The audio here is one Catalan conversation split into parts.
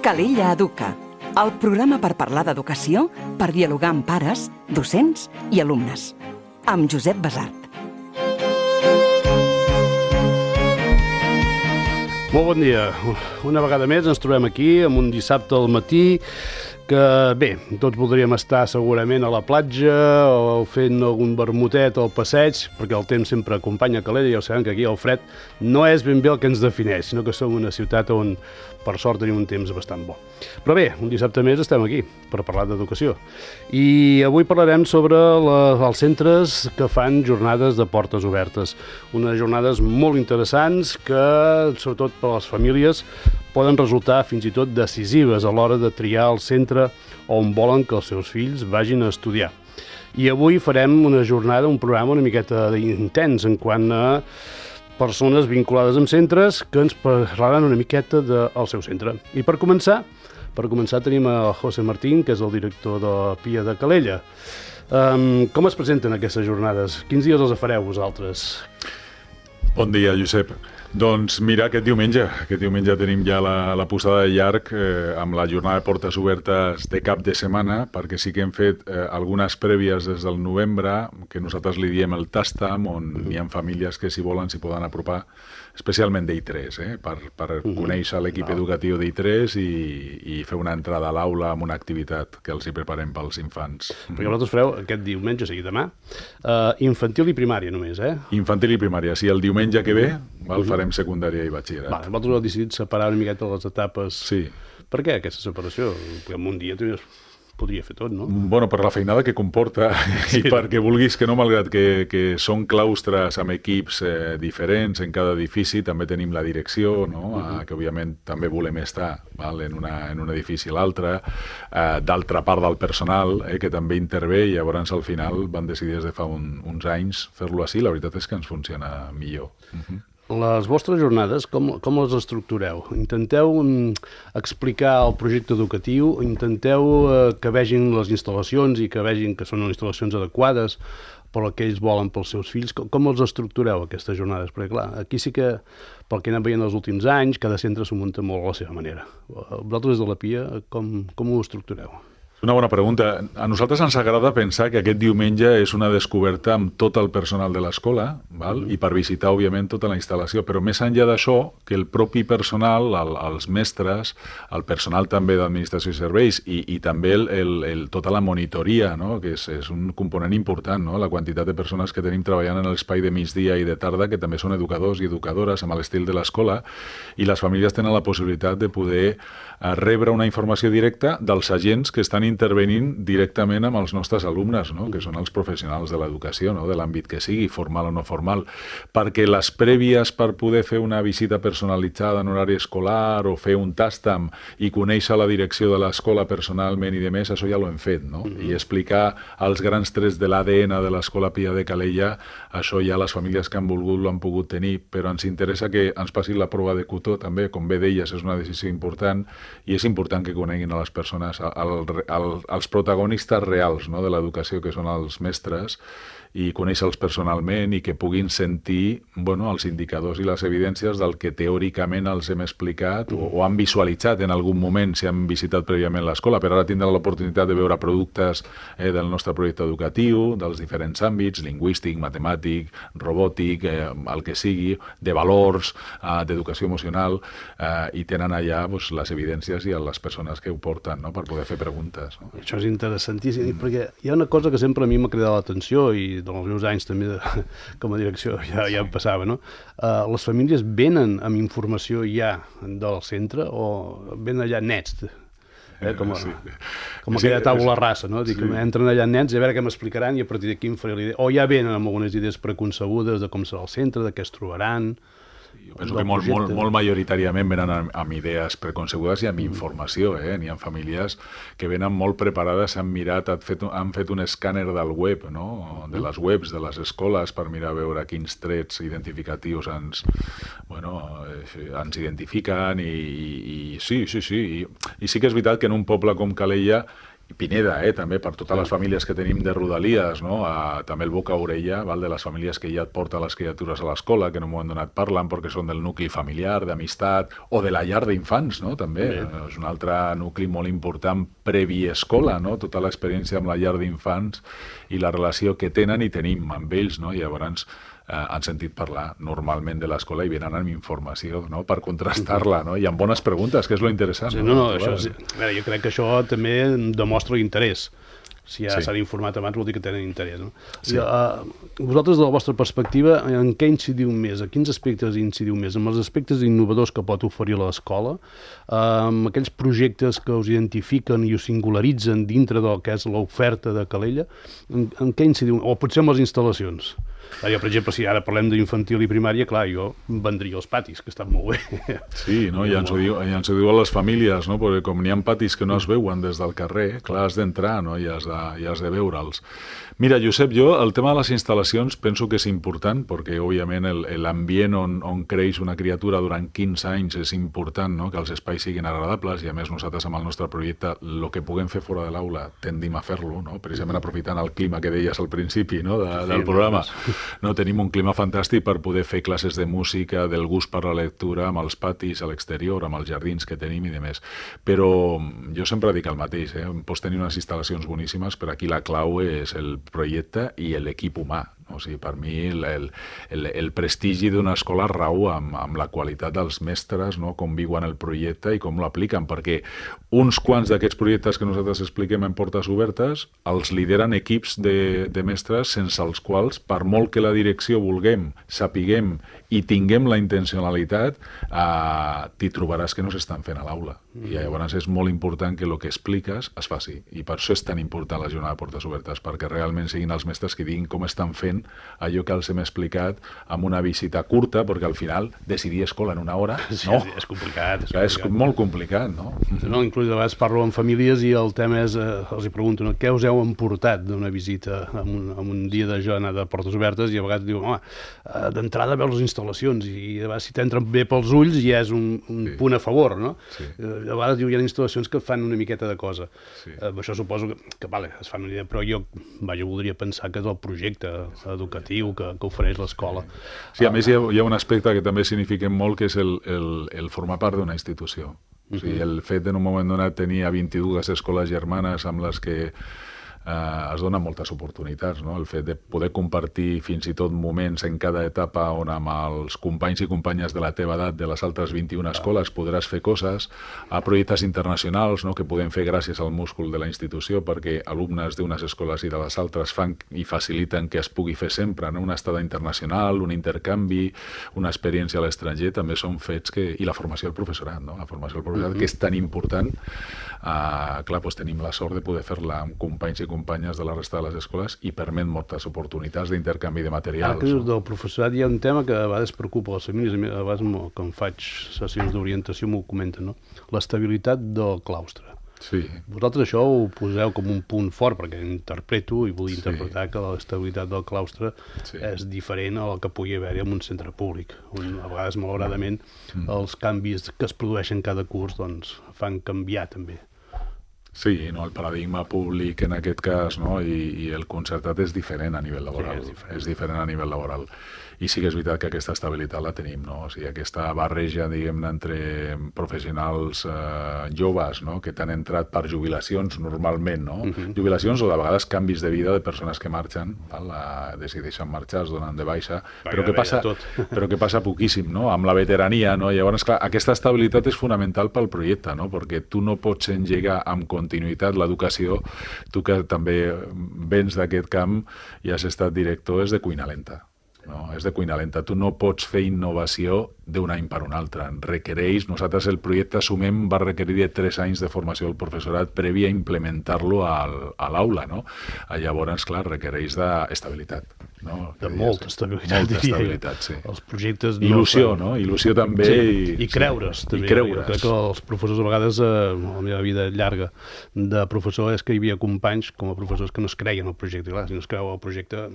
Calella Educa, el programa per parlar d'educació, per dialogar amb pares, docents i alumnes. Amb Josep Basart. Molt bon dia. Una vegada més ens trobem aquí, amb un dissabte al matí, que bé, tots voldríem estar segurament a la platja o fent algun vermutet al passeig, perquè el temps sempre acompanya Calella, ja ho sabem que aquí el fred no és ben bé el que ens defineix, sinó que som una ciutat on per sort tenim un temps bastant bo. Però bé, un dissabte més estem aquí per parlar d'educació. I avui parlarem sobre els centres que fan jornades de portes obertes. Unes jornades molt interessants que, sobretot per a les famílies, poden resultar fins i tot decisives a l'hora de triar el centre on volen que els seus fills vagin a estudiar. I avui farem una jornada, un programa una miqueta intens en quant a persones vinculades amb centres que ens parlaran una miqueta del seu centre. I per començar tenim a José Martín, que és el director de la PIA de Calella. Com es presenten aquestes jornades? Quins dies les fareu vosaltres? Bon dia, Josep. Doncs mira, aquest diumenge tenim ja la posada de llarg amb la jornada de portes obertes de cap de setmana, perquè sí que hem fet algunes prèvies des del novembre, que nosaltres li diem el Tastam, on hi ha famílies que si volen s'hi poden apropar, especialment d'I3, per conèixer l'equip educatiu d'I3 i fer una entrada a l'aula amb una activitat que els hi preparem pels infants. Perquè vosaltres fareu aquest diumenge, o sigui demà, infantil i primària només, Infantil i primària, sí, el diumenge que ve farem secundària i batxillerat. Vosaltres heu decidit separar una miqueta les etapes. Sí. Per què aquesta separació? Perquè en un dia podria fer tot, no? Bueno, per la feinada que comporta i perquè vulguis que no, malgrat que són claustres amb equips diferents en cada edifici, també tenim la direcció, no? Que òbviament també volem estar en un edifici a l'altre, d'altra part del personal que també intervé, i llavors al final van decidir des de fa uns anys fer-lo així. La veritat és que ens funciona millor. Les vostres jornades, com les estructureu? Intenteu explicar el projecte educatiu, intenteu que vegin les instal·lacions i que vegin que són instal·lacions adequades per al que ells volen pels seus fills. Com els estructureu, aquestes jornades? Perquè, clar, aquí sí que, pel que anem veient els últims anys, cada centre s'ho munta molt a la seva manera. Vosaltres, des de la PIA, com ho estructureu? Una bona pregunta. A nosaltres ens agrada pensar que aquest diumenge és una descoberta amb tot el personal de l'escola, i per visitar, òbviament, tota la instal·lació. Però més enllà d'això, que el propi personal, els mestres, el personal també d'administració i serveis i també tota la monitoria, no? Que és un component important, no? La quantitat de persones que tenim treballant en l'espai de migdia i de tarda, que també són educadors i educadores amb l'estil de l'escola, i les famílies tenen la possibilitat de poder rebre una informació directa dels agents que estan intervenint directament amb els nostres alumnes, no? Que són els professionals de l'educació, no? De l'àmbit que sigui, formal o no formal, perquè les prèvies per poder fer una visita personalitzada en horari escolar o fer un Tastam i conèixer la direcció de l'escola personalment i de més, això ja ho hem fet, no? I explicar els grans trets de l'ADN de l'Escola Pia de Calella, això ja les famílies que han volgut l'han pogut tenir, però ens interessa que ens passi la prova de cotó també, com bé deies, és una decisió important, i és important que coneguin a les persones els protagonistes reals, no? De l'educació, que són els mestres, i conèixer-los personalment i que puguin sentir els indicadors i les evidències del que teòricament els hem explicat o han visualitzat en algun moment si han visitat prèviament l'escola, però ara tindran l'oportunitat de veure productes del nostre projecte educatiu, dels diferents àmbits, lingüístic, matemàtic, robòtic, el que sigui, de valors, d'educació emocional, i tenen allà les evidències i les persones que ho porten, no? Per poder fer preguntes. No? Això és interessantíssim, perquè hi ha una cosa que sempre a mi m'ha cridat l'atenció, i dels meus anys també com a direcció ja em passava, no? Les famílies venen amb informació ja del centre o venen allà nets, com aquella taula rasa, no? Dic, entren allà nets i a veure què m'explicaran i a partir d'aquí em faré l'idea. O ja venen amb algunes idees preconcebudes de com serà el centre, de què es trobaran. Jo penso que molt majoritàriament venen amb idees preconcebudes i amb informació. N'hi ha famílies que venen molt preparades, han fet un escàner del web, no? De les webs de les escoles per mirar a veure quins trets identificatius ens identifiquen i sí. I sí que és veritat que en un poble com Calella Pineda, també, per totes les famílies que tenim de Rodalies, no? També el boca a orella, de les famílies que ja et porten les criatures a l'escola, que en un moment donat parlen perquè són del nucli familiar, d'amistat, o de la llar d'infants, no? També. És un altre nucli molt important previ escola, no? Tota l'experiència amb la llar d'infants i la relació que tenen i tenim amb ells, no? I llavors han sentit parlar normalment de l'escola i venen amb informació, no? Per contrastar-la, no? I amb bones preguntes, que és lo interessant. Sí, jo crec que això també demostra l'interès. Si ja s'han informat abans vol dir que tenen interès. No? Sí. Vosaltres, de la vostra perspectiva, en què incidiu més? A quins aspectes incidiu més? En els aspectes innovadors que pot oferir l'escola, amb aquells projectes que us identifiquen i us singularitzen dintre del que és l'oferta de Calella, en què incidiu? O potser en les instal·lacions? Jo, per exemple, si ara parlem d'infantil i primària, clar, jo vendria els patis, que estan molt bé. Sí, no? Ja ens ho diu a les famílies, no? Perquè com n'hi ha patis que no es veuen des del carrer, clar, has d'entrar, no? I has de veure'ls. Mira, Josep, jo el tema de les instal·lacions penso que és important, perquè, òbviament, l'ambient on creix una criatura durant 15 anys és important, no? Que els espais siguin agradables, i a més nosaltres amb el nostre projecte el que puguem fer fora de l'aula tendim a fer-lo, no? Precisament aprofitant el clima que deies al principi, no? Del programa. No, tenim un clima fantàstic per poder fer classes de música, del gust per la lectura, amb els patis a l'exterior, amb els jardins que tenim i demés. Però jo sempre dic el mateix, pots tenir unes instal·lacions boníssimes, però aquí la clau és el projecte i l'equip humà. O sigui, per mi el prestigi d'una escola rau amb la qualitat dels mestres, no? Com viuen el projecte i com l'apliquen, perquè uns quants d'aquests projectes que nosaltres expliquem en Portes Obertes els lideren equips de mestres sense els quals, per molt que la direcció vulguem, sapiguem i tinguem la intencionalitat, t'hi trobaràs que no s'estan fent a l'aula. I llavors és molt important que el que expliques es faci. I per això és tan important la jornada de Portes Obertes, perquè realment siguin els mestres que diguin com estan fent allò que els hem explicat amb una visita curta, perquè al final decidir escola en una hora, no? Sí, és complicat. És molt complicat, no? No, inclús a vegades parlo amb famílies i el tema és, els hi pregunto, no? Què us heu emportat d'una visita en un dia de jornada de Portes Obertes? I a vegades diuen, d'entrada veus les instal·lacions i a vegades si t'entren bé pels ulls ja és un punt a favor, no? Sí. A vegades hi ha instal·lacions que fan una miqueta de cosa. Sí. Això suposo que vale, es fan una idea, però jo voldria pensar que és el projecte educatiu que ofereix l'escola. Sí, a més hi ha un aspecte que també significa molt, que és el formar part d'una institució. O sigui, el fet en un moment donat tenir 22 escoles germanes amb les que es donen moltes oportunitats, no? El fet de poder compartir fins i tot moments en cada etapa on amb els companys i companyes de la teva edat de les altres 21 escoles podràs fer coses, a projectes internacionals, no? Que podem fer gràcies al múscul de la institució, perquè alumnes d'unes escoles i de les altres fan i faciliten que es pugui fer sempre, no? Una estada internacional, un intercanvi, una experiència a l'estranger, també són fets que... I la formació del professorat, no? La formació del professorat, que és tan important. Clar, doncs tenim la sort de poder fer-la amb companys i companyes de la resta de les escoles i permet moltes oportunitats d'intercanvi de materials. Ara que dius del professorat hi ha un tema que a vegades preocupa les famílies, a vegades quan faig sessions d'orientació m'ho comenten, no? L'estabilitat del claustre. Sí. Vosaltres això ho poseu com un punt fort, perquè interpreto i vull interpretar que l'estabilitat del claustre és diferent a la que pugui haver-hi en un centre públic, on a vegades, malauradament, els canvis que es produeixen cada curs doncs, fan canviar també. Sí, no, el paradigma públic en aquest cas, no? I el concertat és diferent a nivell laboral. Sí, és diferent a nivell laboral. I sí que és veritat que aquesta estabilitat la tenim, no? O sigui, aquesta barreja, diguem-ne, entre professionals joves, no? Que t'han entrat per jubilacions normalment, no? Jubilacions o de vegades canvis de vida de persones que marxen, decideixen marxar, es donen de baixa, però que passa poquíssim, no? Amb la veterania, no? Llavors, clar, aquesta estabilitat és fonamental pel projecte, no? Perquè tu no pots engegar amb continuïtat l'educació, tu que també vens d'aquest camp i has estat director, és de cuina lenta. No, és de cuina lenta. Tu no pots fer innovació d'un any per un altre. Nosaltres el projecte Sumem va requerir de 3 anys de formació del professorat previ a implementar-lo a l'aula, no? Llavors, clar, requereix d'estabilitat. No? De molta estabilitat. Molta estabilitat, sí. Els projectes... Il·lusió, no? Il·lusió també. Sí. I creure's, també. I creure's. Jo crec que els professors, a vegades, a la meva vida llarga de professor, és que hi havia companys com a professors que no es creien el projecte. Clar, si no es creu el projecte...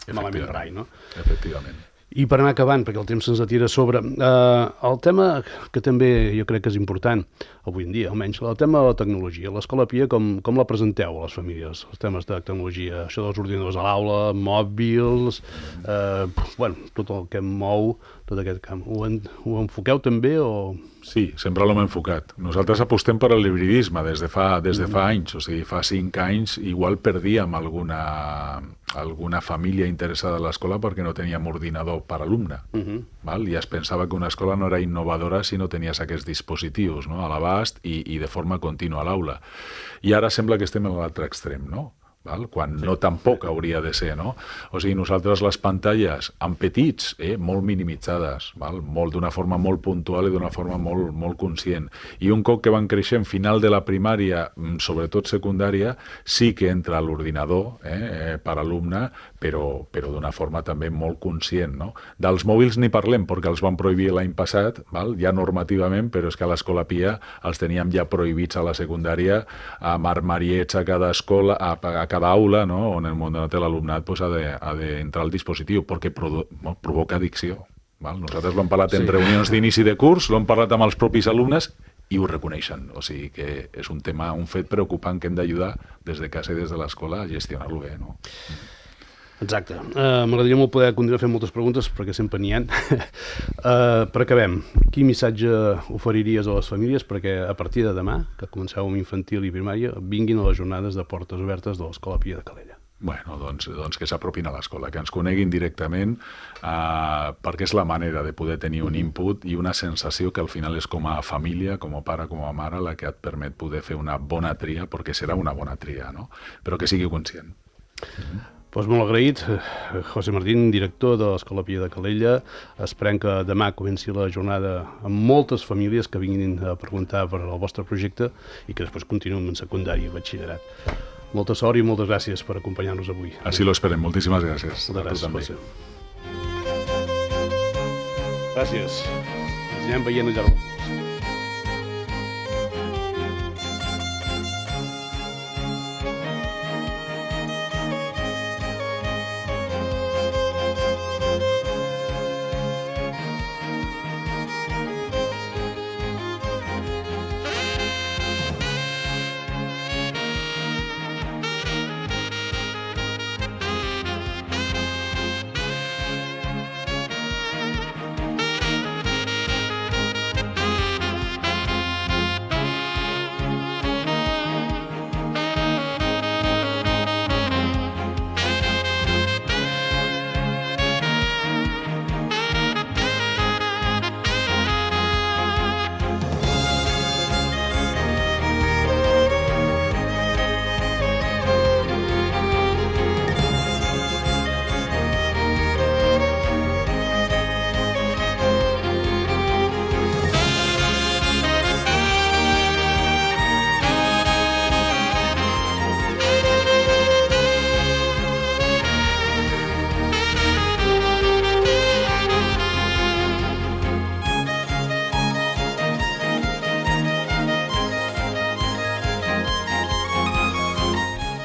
malament rai, no? Efectivament. I per anar acabant, perquè el temps se'ns atira a sobre, el tema que també jo crec que és important, avui en dia almenys, el tema de la tecnologia. L'Escola Pia, com la presenteu a les famílies, els temes de tecnologia, això dels ordinadors a l'aula, mòbils, tot el que mou tot aquest camp. Ho enfoqueu també o...? Sí, sempre l'hem enfocat. Nosaltres apostem per l'hibridisme des de fa anys, o sigui, fa 5 anys igual perdíem alguna família interessada a l'escola perquè no teníem ordinador per alumne. Val? I es pensava que una escola no era innovadora si no tenies aquests dispositius, no?, a l'abast i de forma contínua a l'aula. I ara sembla que estem a l'altre extrem, no?, val? Quan no tampoc hauria de ser, no? O sigui, nosaltres les pantalles en petits, molt minimitzades, val? D'una forma molt puntual i d'una forma molt conscient. I un cop que van creixent, final de la primària, sobretot secundària, sí que entra a l'ordinador per alumne, però d'una forma també molt conscient, no? Dels mòbils ni parlem, perquè els van prohibir l'any passat, val? Ja normativament, però és que a l'Escola Pia els teníem ja prohibits a la secundària, amb armariets a cada escola, a cada aula, no?, on el món de l'alumnat ha d'entrar al dispositiu, perquè provoca addicció. Val? Nosaltres l'hem parlat en reunions d'inici de curs, l'hem parlat amb els propis alumnes i ho reconeixen. O sigui que és un tema, un fet preocupant que hem d'ajudar des de casa i des de l'escola a gestionar-lo bé, no? Exacte. M'agradaria molt poder continuar fent moltes preguntes, perquè sempre n'hi ha. Per acabem, quin missatge oferiries a les famílies perquè a partir de demà, que comenceu amb infantil i primària, vinguin a les jornades de portes obertes de l'Escola Pia de Calella? Bueno, doncs que s'apropin a l'escola, que ens coneguin directament, perquè és la manera de poder tenir un input i una sensació que al final és com a família, com a pare, com a mare, la que et permet poder fer una bona tria, perquè serà una bona tria, no? Però que sigui conscient. Doncs molt agraït, José Martín, director de l'Escola Pia de Calella. Esperem que demà comenci la jornada amb moltes famílies que vinguin a preguntar per al vostre projecte i que després continuïn en secundària i batxillerat. Molta sort i moltes gràcies per acompanyar-nos avui. Així lo esperem. Moltíssimes gràcies. Moltes gràcies. Gràcies. Ens anem veient al llarg del curs.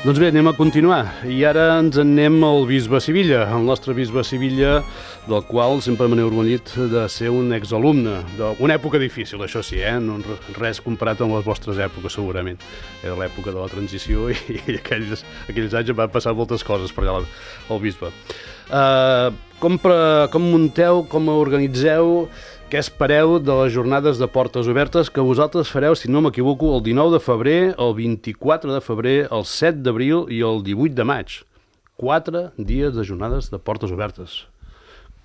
Doncs bé, anem a continuar. I ara ens en anem al bisbe Sivilla, el nostre bisbe Sivilla, del qual sempre me n'he orgullit de ser un exalumne, d'una època difícil, això sí, no res comparat amb les vostres èpoques, segurament. Era l'època de la transició i aquells anys van passar moltes coses per allà al bisbe. Com munteu, com organitzeu, què espereu de les jornades de portes obertes que vosaltres fareu, si no m'equivoco, el 19 de febrer, el 24 de febrer, el 7 d'abril i el 18 de maig? 4 dies de jornades de portes obertes.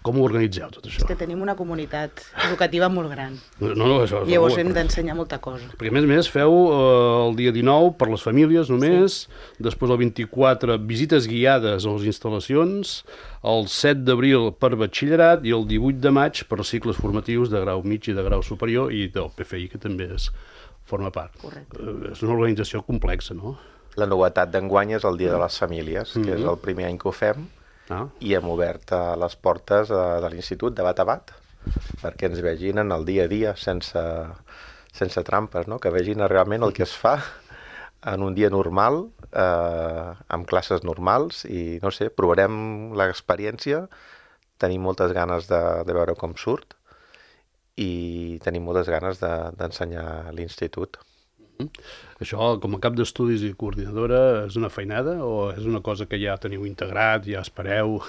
Com ho organitzeu, tot això? És que tenim una comunitat educativa molt gran. No, això és llavors hem d'ensenyar molta cosa. Perquè, a més, feu el dia 19 per les famílies només, després el 24 visites guiades a les instal·lacions, el 7 d'abril per batxillerat i el 18 de maig per cicles formatius de grau mig i de grau superior i del PFI, que també forma part. Correcte. És una organització complexa, no? La novetat d'enguany és el Dia de les Famílies, que és el primer any que ho fem, i hem obert les portes de l'Institut de bat a bat, perquè ens vegin en el dia a dia sense trampes, no? Que vegin realment el que es fa en un dia normal, amb classes normals, i no sé, provarem l'experiència tenim moltes ganes de veure com surt i tenim moltes ganes d'ensenyar a l'institut. Això, com a cap d'estudis i coordinadora, és una feinada o és una cosa que ja teniu integrat, ja espereu?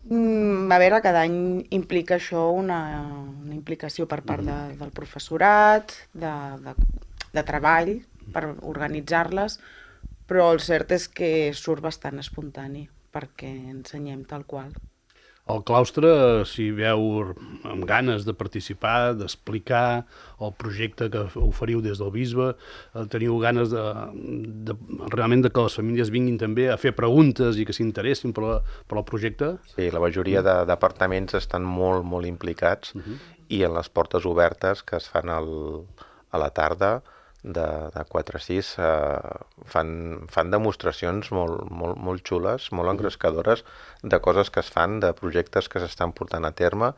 A veure, cada any implica això una implicació per part del professorat, de treball, per organitzar-les, però el cert és que surt bastant espontani, perquè ensenyem tal qual. El claustre, si veu amb ganes de participar, d'explicar el projecte que oferiu des del bisbe, teniu ganes realment de que les famílies vinguin també a fer preguntes i que s'interessin per el projecte? Sí, la majoria de departaments estan molt, molt implicats i en les portes obertes que es fan a la tarda, de 4 a 6, fan demostracions molt xules, molt engrescadores de coses que es fan, de projectes que s'estan portant a terme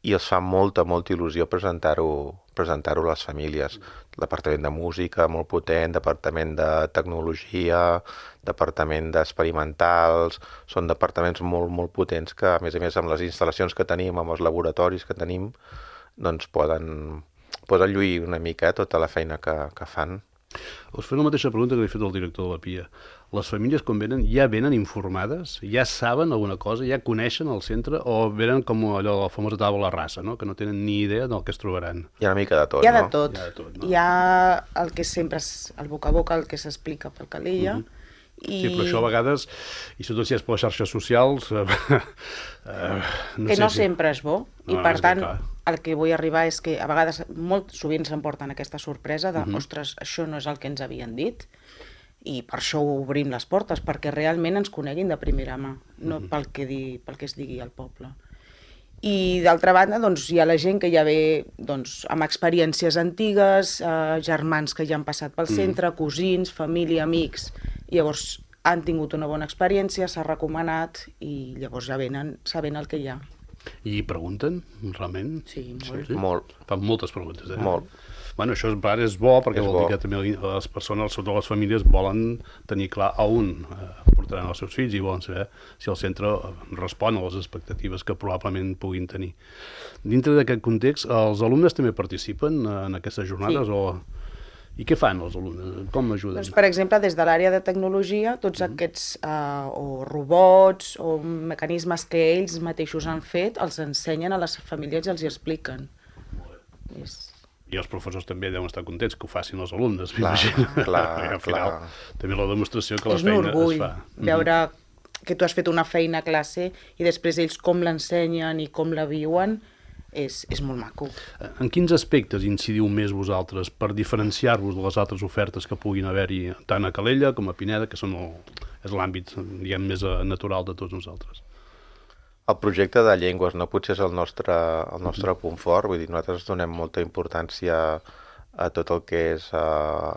i els fa molta il·lusió presentar-ho a les famílies. El departament de música, molt potent, departament de tecnologia, departament d'experimentals, són departaments molt potents que, a més amb les instal·lacions que tenim, amb els laboratoris que tenim, doncs poden lluir una mica tota la feina que fan. Us faré la mateixa pregunta que li he fet al director de la PIA. Les famílies, quan venen, ja venen informades? Ja saben alguna cosa? Ja coneixen el centre? O venen com allò, la famosa taula rasa, no? Que no tenen ni idea del que es trobaran? Hi ha una mica de tot, no? Hi ha de tot, no? Hi ha el que sempre és el boca a boca, el que s'explica per Calella, Sí, però això a vegades, i sobretot si és per les xarxes socials... no sempre és bo, i per tant, el que vull arribar és que a vegades, molt sovint s'emporten aquesta sorpresa de, ostres, això no és el que ens havien dit, i per això obrim les portes, perquè realment ens coneguin de primera mà, no pel que es digui al poble. I d'altra banda, doncs, hi ha la gent que ja ve amb experiències antigues, germans que ja han passat pel centre, cosins, família, amics. Llavors han tingut una bona experiència, s'ha recomanat i llavors ja venen sabent el que hi ha. I pregunten, realment? Sí, molt. Sí. Molt. Fan moltes preguntes, Molt. Bueno, això és bo, perquè vol dir que també les persones, sobretot les famílies, volen tenir clar a on portaran els seus fills i volen saber si el centre respon a les expectatives que probablement puguin tenir. Dintre d'aquest context, els alumnes també participen en aquestes jornades? Sí. I què fan els alumnes? Com ajuden? Doncs, per exemple, des de l'àrea de tecnologia, tots aquests o robots o mecanismes que ells mateixos han fet, els ensenyen a les famílies i els hi expliquen. I els professors també deuen estar contents que ho facin els alumnes, Clar. Al final, també la demostració que la feina es fa. És un orgull veure que tu has fet una feina a classe i després ells com l'ensenyen i com la viuen, és molt maco. En quins aspectes incidiu més vosaltres per diferenciar-vos de les altres ofertes que puguin haver-hi tant a Calella com a Pineda, que és l'àmbit, diguem, més natural de tots nosaltres? El projecte de llengües no potser és el nostre punt fort, vull dir, nosaltres donem molta importància a tot el que és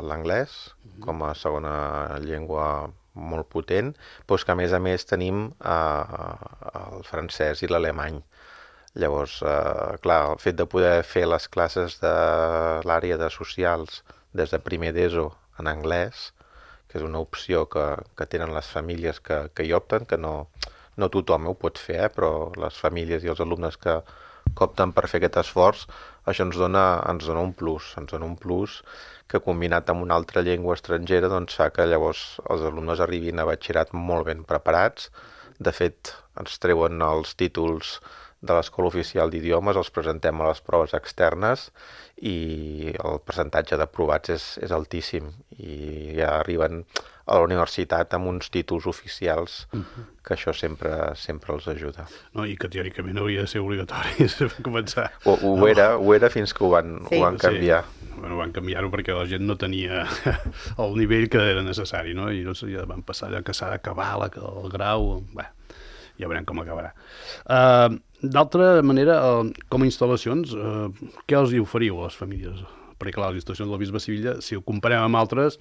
l'anglès com a segona llengua molt potent, però que a més tenim el francès i l'alemany. Llavors, clar, el fet de poder fer les classes de l'àrea de socials des de primer d'ESO en anglès, que és una opció que tenen les famílies que hi opten, que no tothom ho pot fer, però les famílies i els alumnes que opten per fer aquest esforç, això ens dona un plus que combinat amb una altra llengua estrangera doncs fa que llavors els alumnes arribin a batxillerat molt ben preparats. De fet, ens treuen els títols de l'Escola Oficial d'Idiomes, els presentem a les proves externes i el percentatge d'aprovats és altíssim i ja arriben a la universitat amb uns títols oficials que això sempre els ajuda. No, i que teòricament hauria de ser obligatori començar. Ho era fins que ho van canviar. Sí. Bueno, van canviar-ho perquè la gent no tenia el nivell que era necessari, no? I doncs ja van passar allò que s'ha d'acabar el grau. Bé, ja veurem com acabarà. D'altra manera, com a instal·lacions, què els hi oferiu a les famílies? Perquè, clar, les instal·lacions del Bisbe Sivilla, si ho comparem amb altres,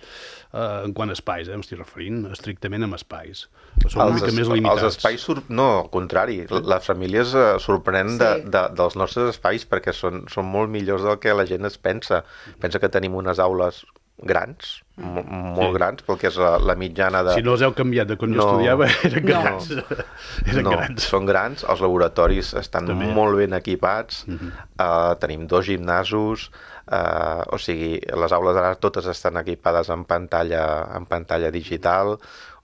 en quant a espais, m'estic referint estrictament amb espais. Són una mica més limitats. Els espais, no, al contrari, les famílies sorprenen dels nostres espais perquè són molt millors del que la gent es pensa. Pensa que tenim unes aules grans, molt grans, perquè és la mitjana de... Si no els heu canviat de quan jo estudiava, eren grans. Són grans, els laboratoris estan molt ben equipats, tenim 2 gimnasos, o sigui, les aules ara totes estan equipades en pantalla digital,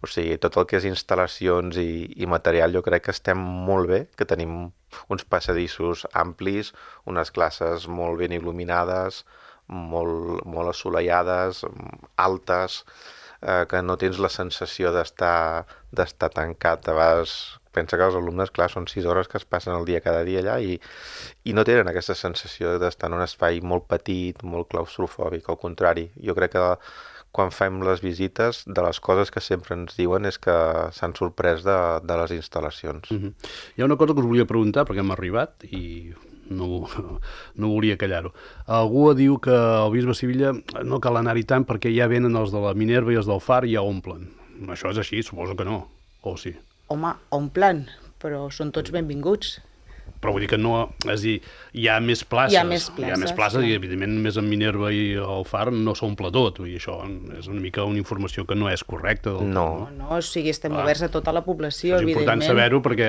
o sigui, tot el que és instal·lacions i material jo crec que estem molt bé, que tenim uns passadissos amplis, unes classes molt ben il·luminades, molt assolellades, altes, que no tens la sensació d'estar tancat. A vegades pensa que els alumnes, clar, són 6 hores que es passen el dia cada dia allà i no tenen aquesta sensació d'estar en un espai molt petit, molt claustrofòbic. Al contrari, jo crec que quan fem les visites, de les coses que sempre ens diuen és que s'han sorprès de les instal·lacions. Hi ha una cosa que us volia preguntar, perquè hem arribat i no volia callar-ho. Algú diu que al Bisbe Sivilla no cal anar-hi tant perquè ja venen els de la Minerva i els del Far i ja omplen. Això és així? Suposo que no. O sí? Home, omplen, però són tots benvinguts. Però vull dir que no... És a dir, hi ha més places. Hi ha més places i, evidentment, més en Minerva i el Far no s'omple tot. Vull dir, això és una mica una informació que no és correcta. No, o sigui, estem oberts a tota la població, evidentment. És important saber-ho perquè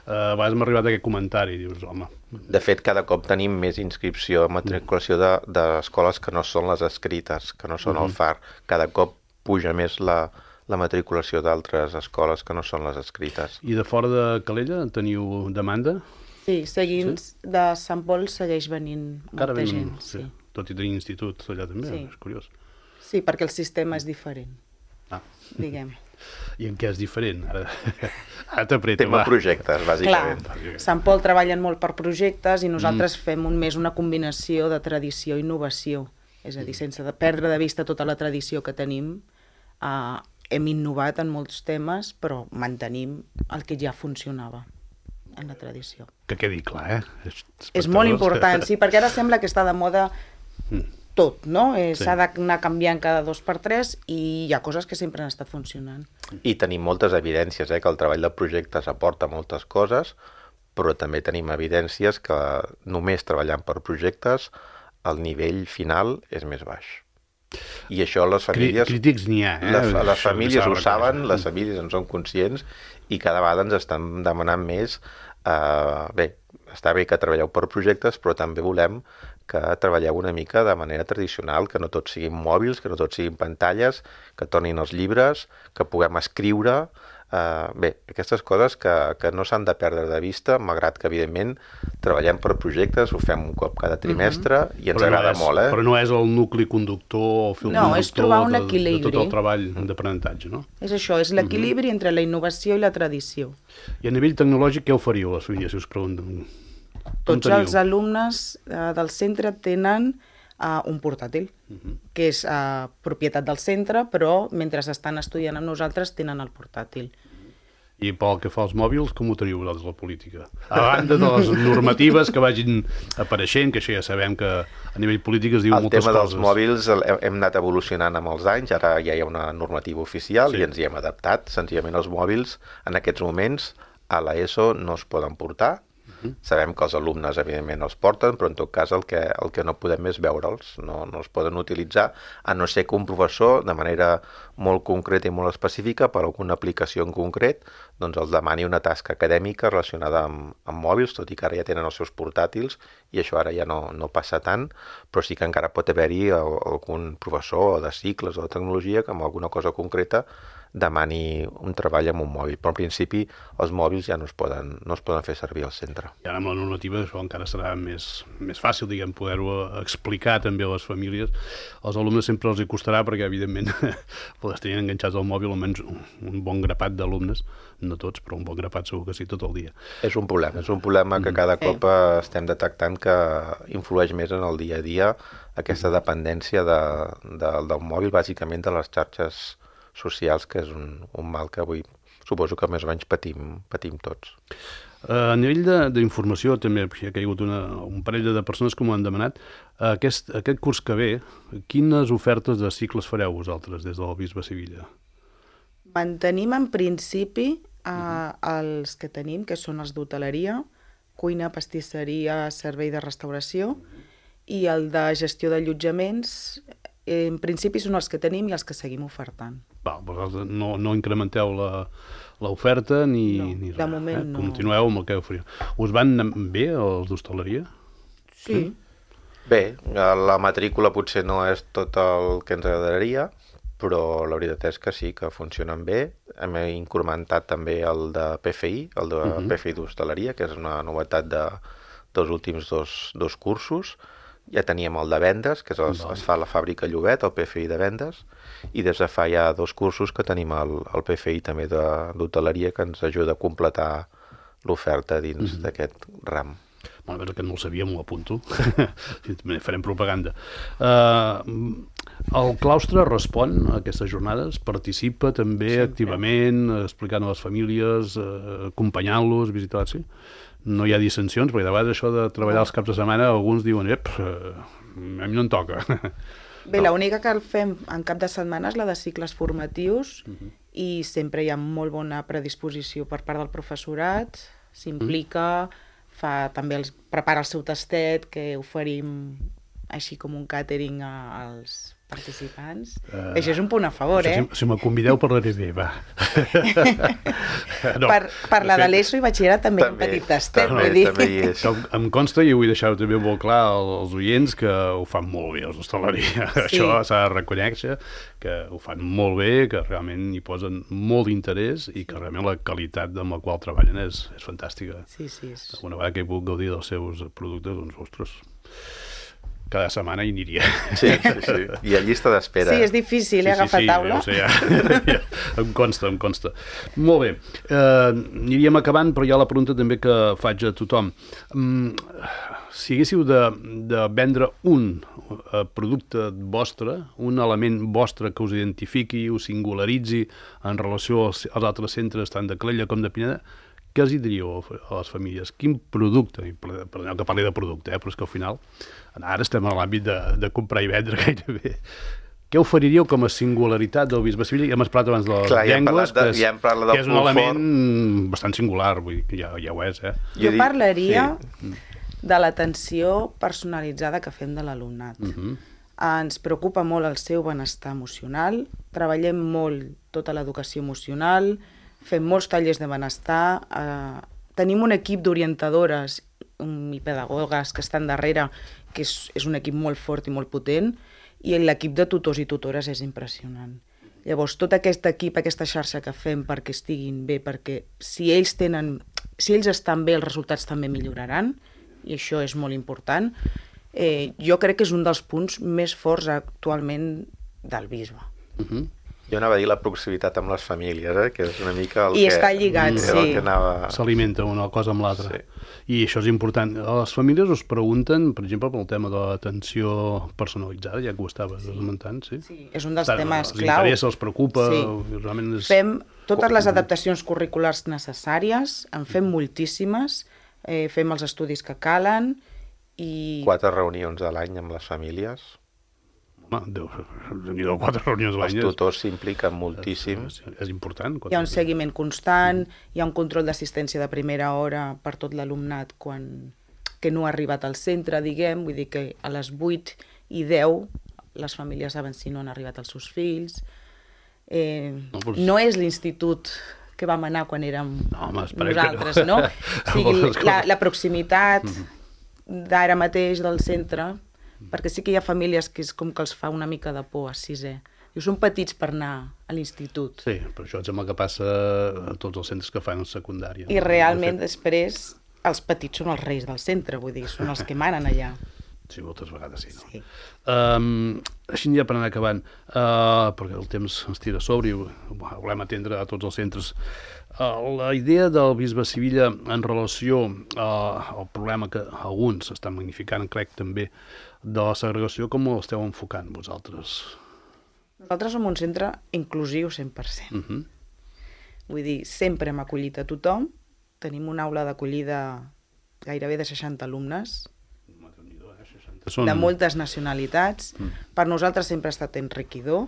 a vegades m'ha arribat aquest comentari i dius, home... De fet, cada cop tenim més inscripció en matriculació d'escoles que no són les escrites, que no són el Far. Cada cop puja més la matriculació d'altres escoles que no són les escrites. I de fora de Calella teniu demanda? Sí, de Sant Pol segueix venint molta gent. Sí. Tot i tenir institut allà també, és curiós. Sí, perquè el sistema és diferent, diguem. I en què és diferent? Ara t'apreta, Tema projectes, bàsicament. Clar, Sant Pol treballen molt per projectes i nosaltres fem més una combinació de tradició i innovació. És a dir, sense perdre de vista tota la tradició que tenim, hem innovat en molts temes, però mantenim el que ja funcionava en la tradició. Que quedi clar, És molt important, sí, perquè ara sembla que està de moda tot, no? S'ha d'anar canviant cada 2x3 i hi ha coses que sempre han estat funcionant. I tenim moltes evidències, que el treball de projectes aporta moltes coses, però també tenim evidències que només treballant per projectes el nivell final és més baix. I això les famílies... Crítics n'hi ha, Les famílies ho saben, les famílies en són conscients i cada vegada ens estan demanant més. Bé, està bé que treballeu per projectes, però també volem que treballeu una mica de manera tradicional, que no tots siguin mòbils, que no tots siguin pantalles, que tornin els llibres, que puguem escriure... Bé, aquestes coses que no s'han de perdre de vista, malgrat que, evidentment, treballem per projectes, ho fem un cop cada trimestre i ens agrada molt. Però no és el nucli conductor o el fil conductor és trobar un equilibri de tot el treball d'aprenentatge, no? És això, és l'equilibri entre la innovació i la tradició. I a nivell tecnològic què oferíeu a les famílies, si us pregunten? Tots els alumnes del centre tenen un portàtil, que és propietat del centre, però mentre estan estudiant amb nosaltres tenen el portàtil. I pel que fa als mòbils, com ho teniu vosaltres, la política? A banda de les normatives que vagin apareixent, que això ja sabem que a nivell polític es diu moltes coses. El tema dels mòbils hem anat evolucionant amb els anys, ara ja hi ha una normativa oficial i ens hi hem adaptat. Senzillament els mòbils en aquests moments a l'ESO no es poden portar. Sabem que els alumnes, evidentment, els porten, però en tot cas el que no podem és veure'ls, no els poden utilitzar, a no ser que un professor, de manera molt concreta i molt específica, per alguna aplicació en concret, doncs els demani una tasca acadèmica relacionada amb mòbils, tot i que ara ja tenen els seus portàtils, i això ara ja no passa tant, però sí que encara pot haver-hi algun professor de cicles o de tecnologia que amb alguna cosa concreta demani un treball amb un mòbil, però en principi els mòbils ja no es poden fer servir al centre. I ara amb la normativa això encara serà més fàcil, diguem, poder-ho explicar també a les famílies. Als alumnes sempre els hi costarà perquè, evidentment, els tenien enganxats al mòbil almenys un bon grapat d'alumnes, no tots, però un bon grapat segur que sí, tot el dia. És un problema que cada cop estem detectant que influeix més en el dia a dia aquesta dependència del mòbil, bàsicament de les xarxes socials, que és un mal que avui suposo que més o menys patim tots. A nivell d'informació també hi ha caigut un parell de persones que m'ho han demanat. Aquest curs que ve, quines ofertes de cicles fareu vosaltres des del Bisbe Sivilla? Mantenim en principi els que tenim, que són els d'hoteleria, cuina, pastisseria, servei de restauració, i el de gestió d'allotjaments en principi són els que tenim i els que seguim ofertant. Vosaltres no incrementeu l'oferta ni No, de moment no. Continueu amb el que oferiu. Us van bé els d'hostaleria? Sí. Bé, la matrícula potser no és tot el que ens agradaria, però la veritat és que sí, que funcionen bé. Hem incrementat també el de PFI, el de PFI d'hostaleria, que és una novetat dels últims dos cursos. Ja teníem el de vendes, que es fa a la fàbrica Llobet, el PFI de vendes, i des de fa ja 2 cursos que tenim el PFI també d'hoteleria, que ens ajuda a completar l'oferta dins d'aquest ram. Bueno, que no el sabia, m'ho apunto. Farem propaganda. El claustre respon a aquestes jornades? Participa també activament, explicant a les famílies, acompanyant-los, visitar-los? Sí? No hi ha dissensions, perquè de vegades això de treballar els caps de setmana, alguns diuen, a mi no em toca. Bé, l'única que el fem en cap de setmana és la de cicles formatius i sempre hi ha molt bona predisposició per part del professorat, s'implica, també prepara el seu tastet, que oferim així com un càtering als participants. Això és un punt a favor, Si me convideu parlaré bé, va. Per la de l'ESO i batxillerat també hi ha un petit tastet. Em consta, i vull deixar-ho també molt clar als oients, que ho fan molt bé els d'hostaleria. Això s'ha de reconèixer, que ho fan molt bé, que realment hi posen molt d'interès i que realment la qualitat amb la qual treballen és fantàstica. Sí. Una vegada que he pogut gaudir dels seus productes, doncs, ostres, cada setmana hi aniria. Sí. I a llista d'espera. Sí, és difícil, agafar taula. Sí, ja. Em consta. Molt bé. Aniríem acabant, però hi ha la pregunta també que faig a tothom. Si haguéssiu de vendre un producte vostre, un element vostre que us identifiqui, us singularitzi en relació als altres centres, tant de Calella com de Pineda, què els hi diríeu a les famílies? Quin producte? Perdoneu que parli de producte, però és que al final ara estem en l'àmbit de comprar i vendre gairebé. Què oferiríeu com a singularitat del Bisbe Sevilla? Ja hem parlat abans de les llengües, que és un element bastant singular, vull dir que ja ho és. Jo parlaria de l'atenció personalitzada que fem de l'alumnat. Ens preocupa molt el seu benestar emocional, treballem molt tota l'educació emocional, fem molts tallers de benestar, tenim un equip d'orientadores i pedagogues que estan darrere, que és un equip molt fort i molt potent, i l'equip de tutors i tutores és impressionant. Llavors, tot aquest equip, aquesta xarxa que fem perquè estiguin bé, perquè si ells estan bé, els resultats també milloraran, i això és molt important, jo crec que és un dels punts més forts actualment del bisbe. Jo anava a dir la proximitat amb les famílies, que és una mica el que... I està lligat, sí. S'alimenta una cosa amb l'altra. I això és important. Les famílies us pregunten, per exemple, pel tema de l'atenció personalitzada, ja que ho estaves esmentant, sí? Sí, és un dels temes clau. Els interessa, els preocupa... Fem totes les adaptacions curriculars necessàries, en fem moltíssimes, fem els estudis que calen i... 4 reunions a l'any amb les famílies. N'hi ha 4 reunions a l'any. Els tutors s'impliquen moltíssim. És important. Hi ha un seguiment constant, hi ha un control d'assistència de primera hora per tot l'alumnat que no ha arribat al centre, diguem, vull dir que a les 8 i 10 les famílies saben si no han arribat els seus fills. No és l'institut que vam anar quan érem nosaltres, no? O sigui, la proximitat d'ara mateix del centre, perquè sí que hi ha famílies que és com que els fa una mica de por a sisè. I són petits per anar a l'institut. Sí, però això sembla que passa a tots els centres que fan secundària. I realment després els petits són els reis del centre, vull dir, són els que manen allà. Sí, moltes vegades sí. Així ja per anar acabant, perquè el temps ens tira a sobre i volem atendre a tots els centres. La idea del bisbe Sevilla en relació al problema que alguns estan magnificant, crec també, de la segregació, com ho esteu enfocant vosaltres? Nosaltres som un centre inclusiu 100%. Vull dir, sempre hem acollit a tothom, tenim una aula d'acollida gairebé de 60 alumnes, de moltes nacionalitats. Per nosaltres sempre ha estat enriquidor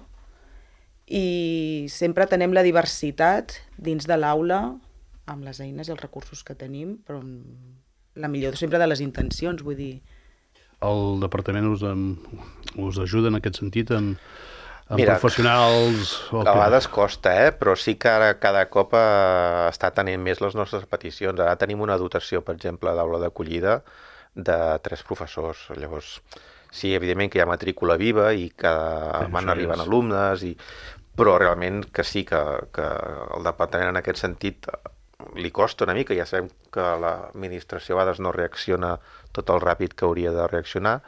i sempre tenem la diversitat dins de l'aula amb les eines i els recursos que tenim, però la millor sempre de les intencions, vull dir. el departament us ajuda en aquest sentit amb professionals? A vegades costa, però sí que ara cada cop està tenint més les nostres peticions. Ara tenim una dotació, per exemple, d'aula d'acollida de 3 professors. Llavors, sí, evidentment que hi ha matrícula viva i que van arribant alumnes, però realment que sí, que el departament en aquest sentit li costa una mica. Ja sabem que l'administració a vegades no reacciona tot el ràpid que hauria de reaccionar,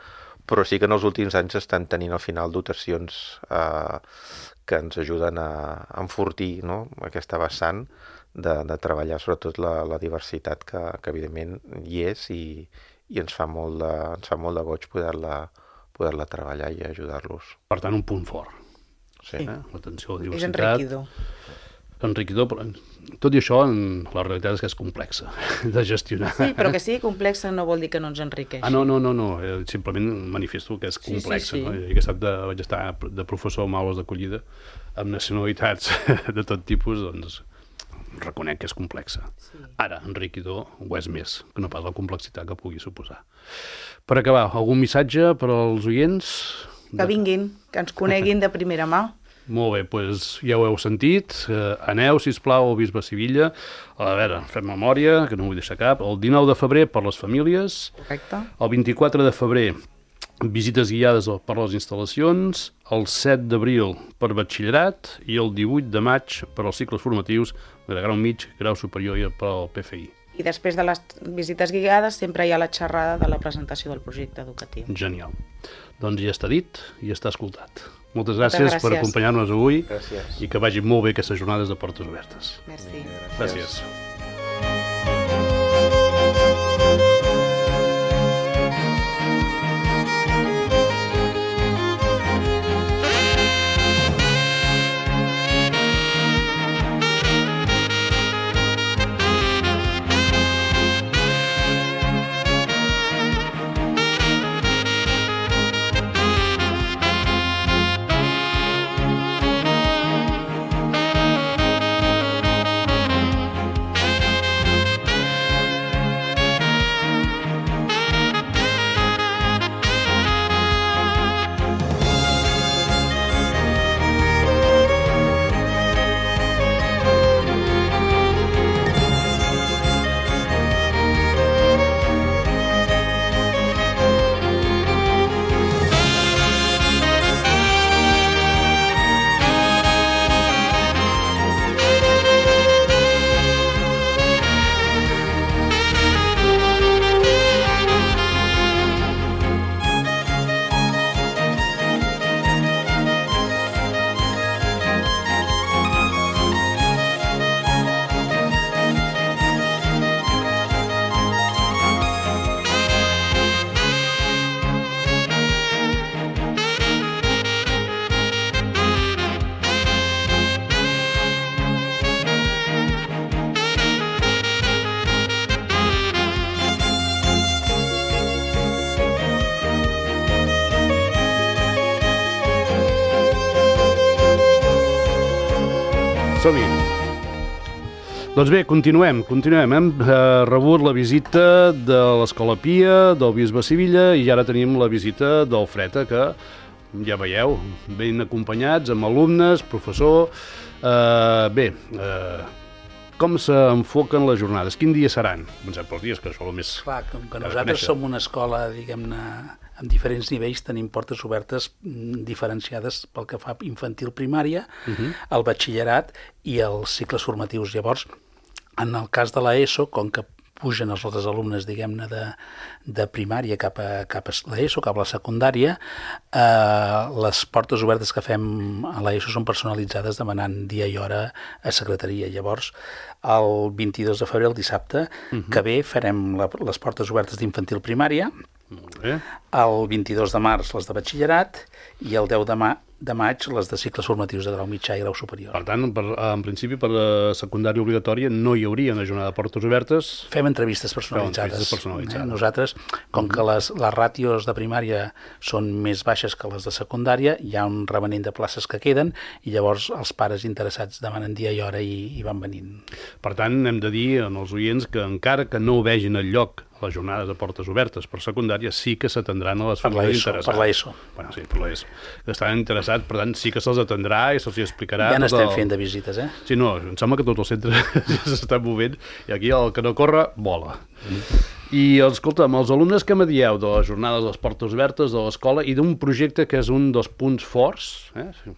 però sí que en els últims anys estan tenint al final dotacions que ens ajuden a enfortir, no?, aquesta vessant de treballar sobretot la diversitat que evidentment hi és i ens fa molt de goig poder-la treballar i ajudar-los. Per tant, un punt fort. Sí. L'atenció a la diversitat. És enriquidor. Enriquidor, però tot i això, la realitat és que és complexa de gestionar. Sí, però que sigui complexa no vol dir que no ens enriqueixi. No. Simplement manifesto que és complexa. Sí. No? I aquest vaig estar de professor amb aules d'acollida amb nacionalitats de tot tipus, doncs reconec que és complexa. Sí. Ara, enriquidor ho és més, que no pas la complexitat que pugui suposar. Per acabar, algun missatge per als oients? Que vinguin, que ens coneguin de primera mà. Molt bé, doncs ja ho heu sentit. Aneu, sisplau, al Bisbe Sivilla. A veure, fem memòria, que no vull deixar cap. El 19 de febrer per les famílies. Correcte. El 24 de febrer visites guiades per les instal·lacions. El 7 d'abril per batxillerat i el 18 de maig per als cicles formatius de grau mig, grau superior i per al PFI. I després de les visites guiades sempre hi ha la xerrada de la presentació del projecte educatiu. Genial. Doncs ja està dit i ja està escoltat. Moltes gràcies per acompanyar-nos avui. Gràcies. I que vagi molt bé aquestes jornades de portes obertes. Merci. Gràcies. Som-hi. Doncs bé, continuem. Hem rebut la visita de l'Escola Pia, del Bisbe Sivilla, i ara tenim la visita del Freta, que ja veieu, ben acompanyats, amb alumnes, professor. Com s'enfoquen les jornades? Quin dia seran? Comencem pels dies, que això és el més... Clar, com que nosaltres som una escola, diguem-ne, amb diferents nivells, tenim portes obertes diferenciades pel que fa infantil primària, el batxillerat i els cicles formatius. Llavors, en el cas de l'ESO, com que pugen els altres alumnes, diguem-ne, de primària cap a l'ESO, cap a la secundària, les portes obertes que fem a l'ESO són personalitzades demanant dia i hora a secretaria. Llavors, el 22 de febrer, el dissabte, que ve, farem les portes obertes d'infantil primària, el 22 de març les de batxillerat i el 10 de maig les de cicles formatius de grau mitjà i grau superior. Per tant, en principi, per la secundària obligatòria no hi hauria una jornada de portes obertes. Fem entrevistes personalitzades. Nosaltres, com que les ràtios de primària són més baixes que les de secundària, hi ha un remanent de places que queden i llavors els pares interessats demanen dia i hora i van venint. Per tant, hem de dir als oients que encara que no vegin el lloc les jornades de portes obertes per secundària, sí que s'atendran a les famílies interessades. Per l'ESO. Bueno, sí, per l'ESO. Que estan interessats, per tant, sí que se'ls atendrà i se'ls explicarà. Ja n'estem fent de visites, eh? Sí, no, em sembla que tots els centres ja s'estan movent i aquí el que no corre, vola. I, escolta'm, els alumnes que me dieu de les jornades de les portes obertes de l'escola i d'un projecte que és un dels punts forts,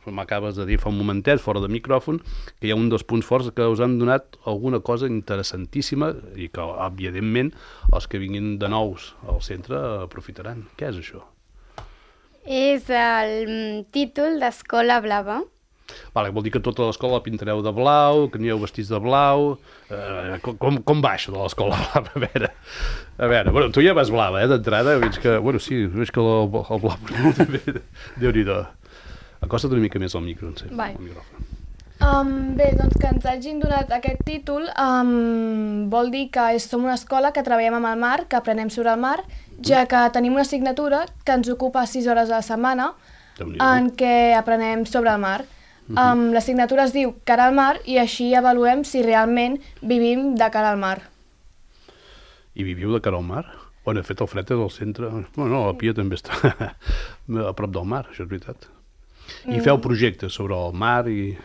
m'acabes de dir fa un momentet, fora de micròfon, que hi ha un dels punts forts que us han donat alguna cosa interessantíssima i que, evidentment, els que vinguin de nous al centre aprofitaran. Què és això? És el títol d'Escola Blava. Vale, vol dir que tota l'escola la pintareu de blau, que anireu vestits de blau. Com va això de l'escola blava? A veure, bueno, tu ja vas blava, d'entrada. Veig que, bueno, sí, veig que el blau també, Déu-n'hi-do. Acosta't una mica més al micro, el micròfon. Bé, doncs que ens hagin donat aquest títol vol dir que som una escola que treballem amb el mar, que aprenem sobre el mar, ja que tenim una assignatura que ens ocupa 6 hores a la setmana en què aprenem sobre el mar. L'assignatura es diu Cara al mar i així avaluem si realment vivim de cara al mar. I viviu de cara al mar? Bueno, de fet, el fred és al centre. Bueno, la Pia també està a prop del mar, això és veritat. I feu projectes sobre el mar i...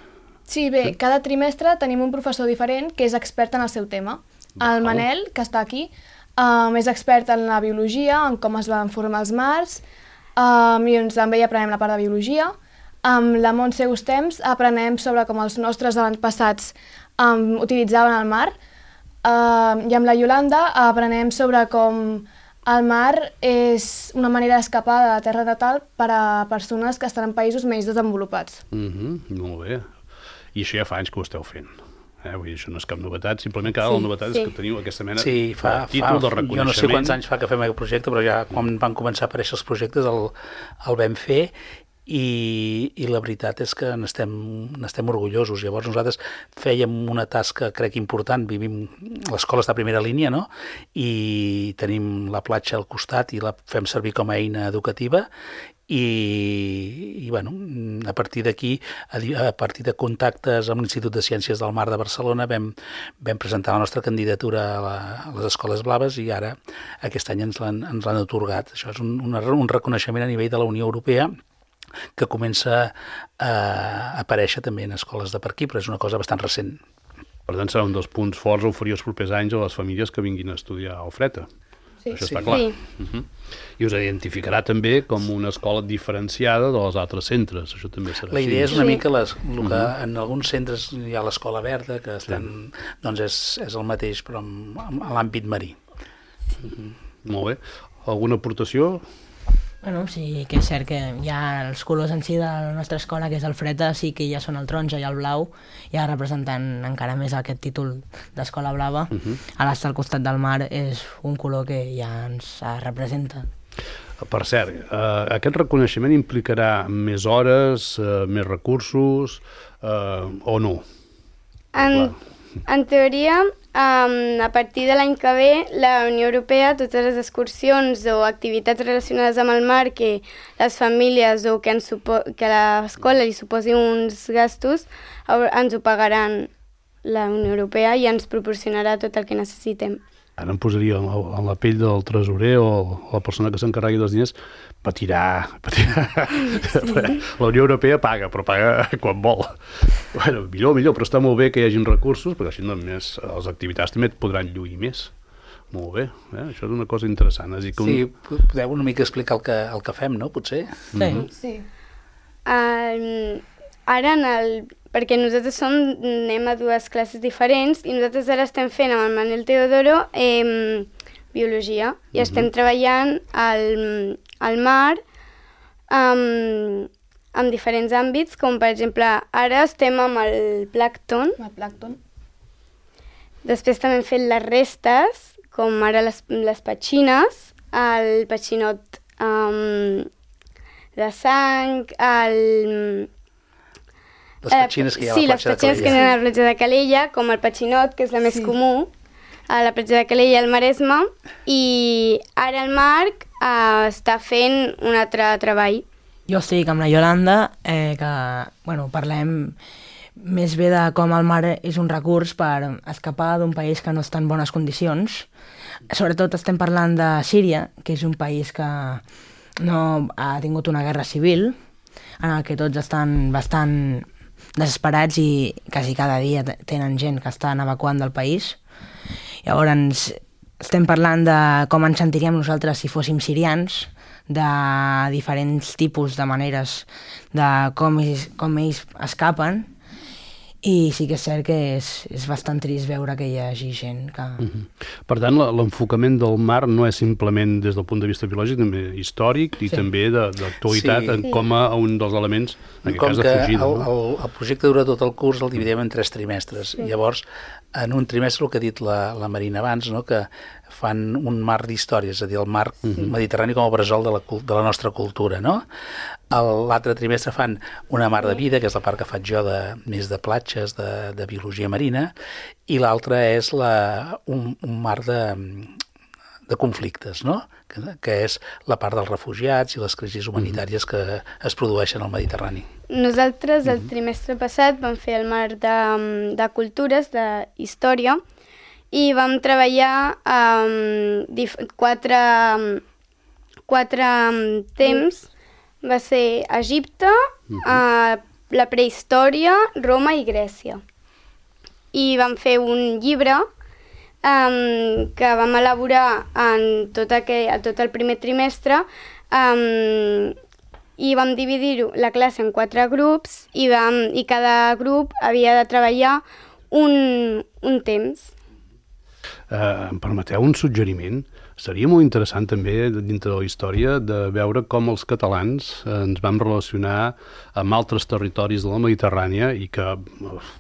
Sí, bé, cada trimestre tenim un professor diferent que és expert en el seu tema. El Manel, que està aquí, és expert en la biologia, en com es van formar els mars, i també hi aprenem la part de biologia. Amb la Montse Gustems aprenem sobre com els nostres avantpassats utilitzaven el mar, i amb la Yolanda aprenem sobre com el mar és una manera d'escapar de la terra natal per a persones que estan en països menys desenvolupats. Molt bé. I això ja fa anys que ho esteu fent. Vull dir, això no és cap novetat, simplement que la novetat és que teniu aquesta mena de títol de reconeixement. Jo no sé quants anys fa que fem aquest projecte, però ja quan van començar a aparèixer els projectes el vam fer i la veritat és que n'estem orgullosos. Llavors nosaltres fèiem una tasca, crec, important. L'escola està a primera línia, no? I tenim la platja al costat i la fem servir com a eina educativa i bueno, a partir d'aquí, a partir de contactes amb l'Institut de Ciències del Mar de Barcelona vam presentar la nostra candidatura a les Escoles Blaves i ara aquest any ens l'han atorgat. Això és un reconeixement a nivell de la Unió Europea que comença a aparèixer també en escoles de per aquí, però és una cosa bastant recent. Per tant, serà un dels punts forts a oferir els propers anys a les famílies que vinguin a estudiar a Ofreta. Sí. Això està clar. Sí. I us identificarà també com una escola diferenciada dels altres centres. Això també serà La idea és una mica el que en alguns centres hi ha l'escola verda, que estan, doncs és el mateix, però a l'àmbit marí. Molt bé. Alguna aportació? Bueno, sí que és cert que hi ha els colors en si de la nostra escola, que és el Freta, sí que ja són el taronja i el blau, ja representant encara més aquest títol d'Escola Blava. Ara estar al costat del mar és un color que ja ens representa. Per cert, aquest reconeixement implicarà més hores, més recursos, o no? En teoria, a partir de l'any que ve, la Unió Europea, totes les excursions o activitats relacionades amb el mar que les famílies o que l'escola li suposi uns gastos, ens ho pagaran la Unió Europea i ens proporcionarà tot el que necessitem. Ara em posaria en la pell del tresorer o la persona que s'encarregui dels diners, patirà. La Unió Europea paga, però paga quan vol. Bueno, millor, però està molt bé que hi hagin recursos, perquè així només les activitats també et podran lluir més. Molt bé, això és una cosa interessant. Sí, podeu una mica explicar el que fem, no, potser? Sí. Ara, perquè nosaltres anem a 2 classes diferents i nosaltres ara estem fent amb el Manel Teodoro biologia i estem treballant al mar en diferents àmbits, com per exemple ara estem amb el plàncton. Després també hem fet les restes, com ara les petxines, el petxinot de sang, les petxines que hi ha a la platja de Calella. Sí, les petxines que hi ha a la platja de Calella, com el petxinot, que és la més comú, a la platja de Calella al Maresme, i ara el Marc està fent un altre treball. Jo estic amb la Yolanda, que parlem més bé de com el mar és un recurs per escapar d'un país que no està en bones condicions. Sobretot estem parlant de Síria, que és un país que no ha tingut una guerra civil, en el que tots estan bastant desesperats i quasi cada dia tenen gent que estan evacuant del país. Llavors estem parlant de com ens sentiríem nosaltres si fóssim sirians, de diferents tipus de maneres de com ells escapen, i sí que és cert que és bastant trist veure que hi hagi gent que... Per tant, l'enfocament del mar no és simplement des del punt de vista biològic, també històric i també d'actualitat com a un dels elements, en aquest cas, de fugida. El projecte dura tot el curs, el dividim en 3 trimestres. Llavors, en un trimestre, el que ha dit la Marina abans, que fan un mar d'històries, és a dir, el mar mediterrani com a bressol de la nostra cultura, no? L'altre trimestre fan una mar de vida, que és la part que faig jo més de platges, de biologia marina, i l'altra és un mar de conflictes, no? Que és la part dels refugiats i les crisis humanitàries que es produeixen al Mediterrani. Nosaltres el trimestre passat vam fer el mar de cultures, de història, i vam treballar quatre temps. Va ser Egipte, la prehistòria, Roma i Grècia. I vam fer un llibre que vam elaborar en tot el primer trimestre, i vam dividir la classe en 4 grups i cada grup havia de treballar un temps. Em permeteu un suggeriment? Seria molt interessant també, dintre de la història, de veure com els catalans ens vam relacionar amb altres territoris de la Mediterrània i que,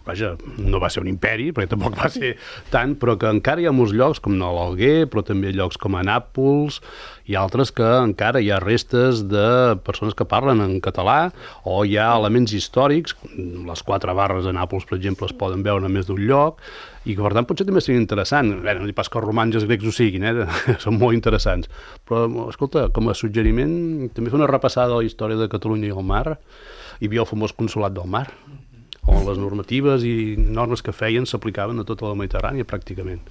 vaja, no va ser un imperi, perquè tampoc va ser tant, però que encara hi ha molts llocs, com l'Alguer, però també llocs com a Nàpols i altres que encara hi ha restes de persones que parlen en català, o hi ha elements històrics, les 4 barres de Nàpols, per exemple, es poden veure a més d'un lloc, i que per tant potser també seria interessant. Bé, no dic pas que els romans i els grecs ho siguin, són molt interessants, però escolta, com a suggeriment també fer una repassada de la història de Catalunya i el mar. Hi havia el famós Consolat del Mar, on les normatives i normes que feien s'aplicaven a tota la Mediterrània pràcticament.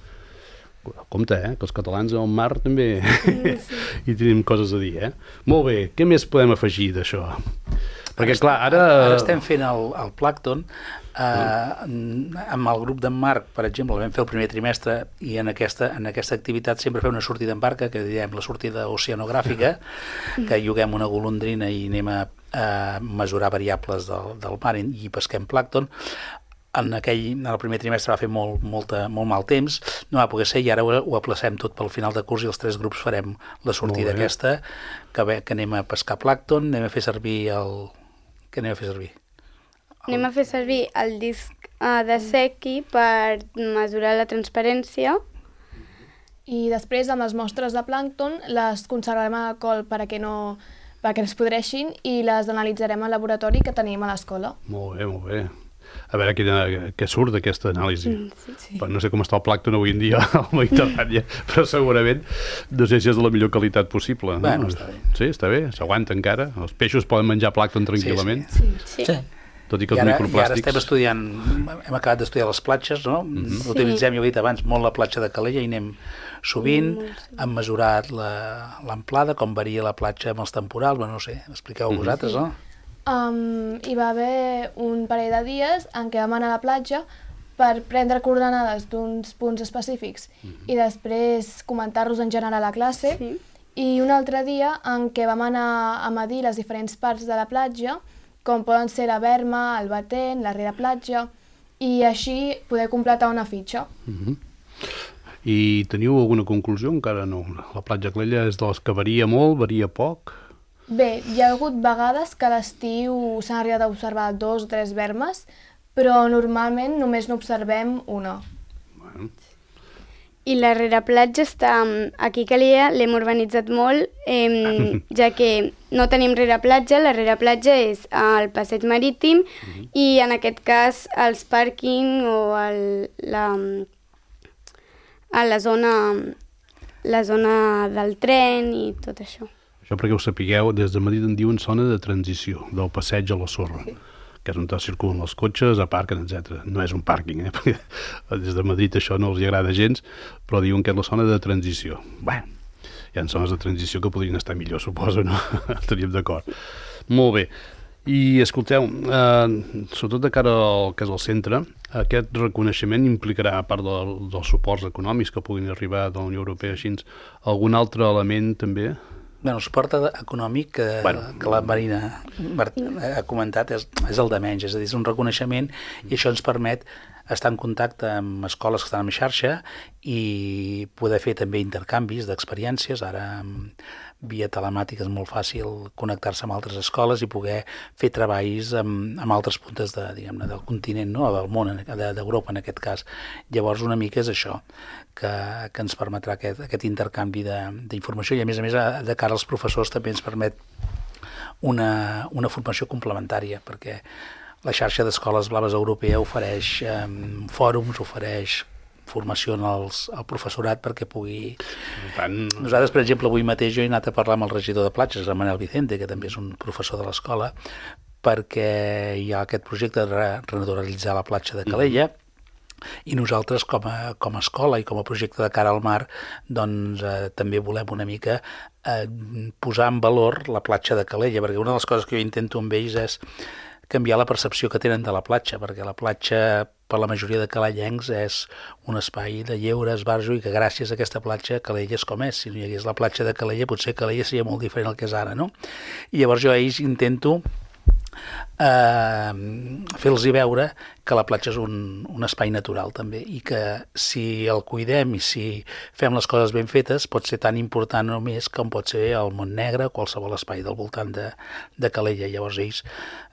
Compte, que els catalans al mar també hi tenim coses a dir, Molt bé, què més podem afegir d'això? Perquè, clar, ara estem fent el plàncton amb el grup d'en Marc, per exemple, el vam fer el primer trimestre, i en aquesta activitat sempre fem una sortida en barca, que diem la sortida oceanogràfica, que lloguem una golondrina i anem a mesurar variables del mar i pesquem plàncton. En el primer trimestre va fer molt mal temps, no va poder ser, i ara ho aplacem tot pel final de curs i els 3 grups farem la sortida aquesta, que anem a pescar plàncton, anem a fer servir Què anem a fer servir? Anem a fer servir el disc de Secchi per mesurar la transparència. I després, amb les mostres de plàncton, les conservarem a alcohol perquè no es podreixin, i les analitzarem al laboratori que tenim a l'escola. Molt bé, molt bé. A veure què surt d'aquesta anàlisi. Sí. No sé com està el plàncton avui en dia al Mediterrània, però segurament no sé si és de la millor qualitat possible. Bueno, està bé. Sí, està bé, s'aguanta encara. Els peixos poden menjar plàncton tranquil·lament. Sí. Tot i que els microplàstics... I ara estem estudiant, hem acabat d'estudiar les platges, no? Utilitzem, jo he dit abans, molt la platja de Calella, i anem sovint, hem mesurat l'amplada, com varia la platja amb els temporals, no sé, expliqueu vosaltres, no? Hi va haver un parell de dies en què vam anar a la platja per prendre coordenades d'uns punts específics i després comentar-los en general a la classe, i un altre dia en què vam anar a medir les diferents parts de la platja, com poden ser la berma, el batent, la rereplatja, i així poder completar una fitxa. I teniu alguna conclusió? Encara no. La platja Calella és de les que varia molt, varia poc? Bé, hi ha hagut vegades que a l'estiu s'han arribat a observar 2 o 3 bermes, però normalment només n'observem una. I la rereplatja està aquí a Calella, l'hem urbanitzat molt, ja que no tenim rereplatja, la rereplatja és al passeig marítim i en aquest cas els pàrquing o a la zona del tren i tot això. Això perquè ho sapigueu, des de Madrid en diuen zona de transició, del passeig a la sorra. Que és on circulen els cotxes, aparquen, etc. No és un pàrquing, perquè des de Madrid això no els agrada gens, però diuen que és la zona de transició. Bé, hi ha zones de transició que podrien estar millor, suposo, no? Estaríem d'acord. Molt bé. I escolteu, sobretot de cara al que és el centre, aquest reconeixement implicarà, a part dels suports econòmics que puguin arribar de la Unió Europea, així, algun altre element també? Bé, el suport econòmic que la Marina ha comentat és el de menys, és a dir, és un reconeixement i això ens permet estar en contacte amb escoles que estan en xarxa i poder fer també intercanvis d'experiències. Ara, via telemàtica és molt fàcil connectar-se amb altres escoles i poder fer treballs amb altres puntes del continent, no? Del món, d'Europa en aquest cas. Llavors, una mica és això, que ens permetrà aquest intercanvi d'informació i, a més, de cara als professors també ens permet una formació complementària, perquè la xarxa d'escoles blaves europea ofereix fòrums, ofereix formació al professorat perquè pugui... Nosaltres, per exemple, avui mateix jo he anat a parlar amb el regidor de platges, el Manel Vicente, que també és un professor de l'escola, perquè hi ha aquest projecte de renaturalitzar la platja de Calella, i nosaltres com a escola i com a projecte de cara al mar doncs també volem una mica posar en valor la platja de Calella, perquè una de les coses que jo intento amb ells és canviar la percepció que tenen de la platja, perquè la platja per la majoria de calellencs és un espai de lleure, esbarjo, i que gràcies a aquesta platja Calella és com és. Si no hi hagués la platja de Calella, potser Calella seria molt diferent del que és ara, no? I llavors jo a ells intento fer-los veure que la platja és un espai natural també i que si el cuidem i si fem les coses ben fetes pot ser tan important o més com pot ser el Montnegre, qualsevol espai del voltant de Calella. Llavors ells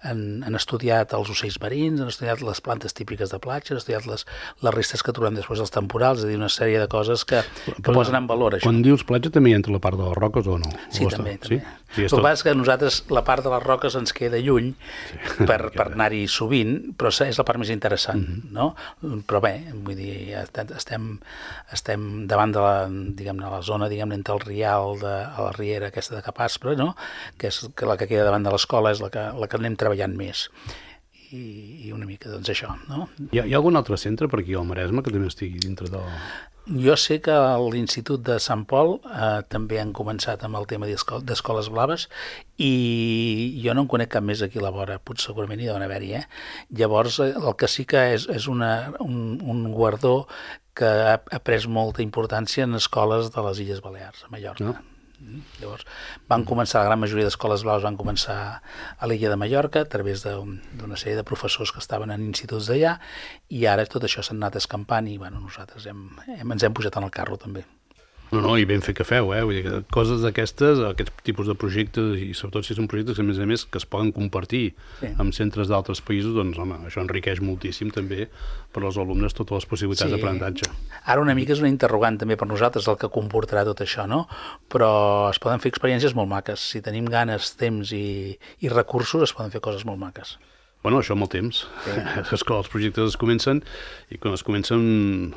han estudiat els ocells marins, han estudiat les plantes típiques de platja, han estudiat les restes que trobem després dels temporals, és a dir, una sèrie de coses que posen en valor això. Quan dius platja també hi entra la part de les roques o no? Sí, també. Sí? El que passa és que a nosaltres la part de les roques ens queda lluny per anar-hi sovint, però és la part més interessant, no? Però bé, vull dir, estem davant de la zona, entre el Rial, a la riera aquesta de Capaspre, no? Que és la que queda davant de l'escola, és la que anem treballant més. I una mica, doncs, això, no? Hi ha algun altre centre per aquí al Maresme que també estigui dintre de... Jo sé que a l'Institut de Sant Pol també han començat amb el tema d'escoles blaves i jo no en conec cap més aquí a la vora, potser segurament hi deuen haver-hi, Llavors, el que sí que és un guardó que ha pres molta importància en escoles de les Illes Balears, a Mallorca. No? Llavors, la gran majoria d'escoles blaves van començar a l'illa de Mallorca a través d'una sèrie de professors que estaven en instituts d'allà i ara tot això s'ha anat escampant i nosaltres ens hem posat en el carro també. No, i ben fet que feu, Vull dir que coses d'aquestes, aquests tipus de projectes, i sobretot si són projectes, a més, que es poden compartir amb centres d'altres països, doncs, home, això enriqueix moltíssim també per als alumnes totes les possibilitats d'aprenentatge. Ara una mica és una interrogant també per nosaltres el que comportarà tot això, no? Però es poden fer experiències molt maques. Si tenim ganes, temps i recursos, es poden fer coses molt maques. Bueno, això amb el temps. És que els projectes es comencen i quan es comencen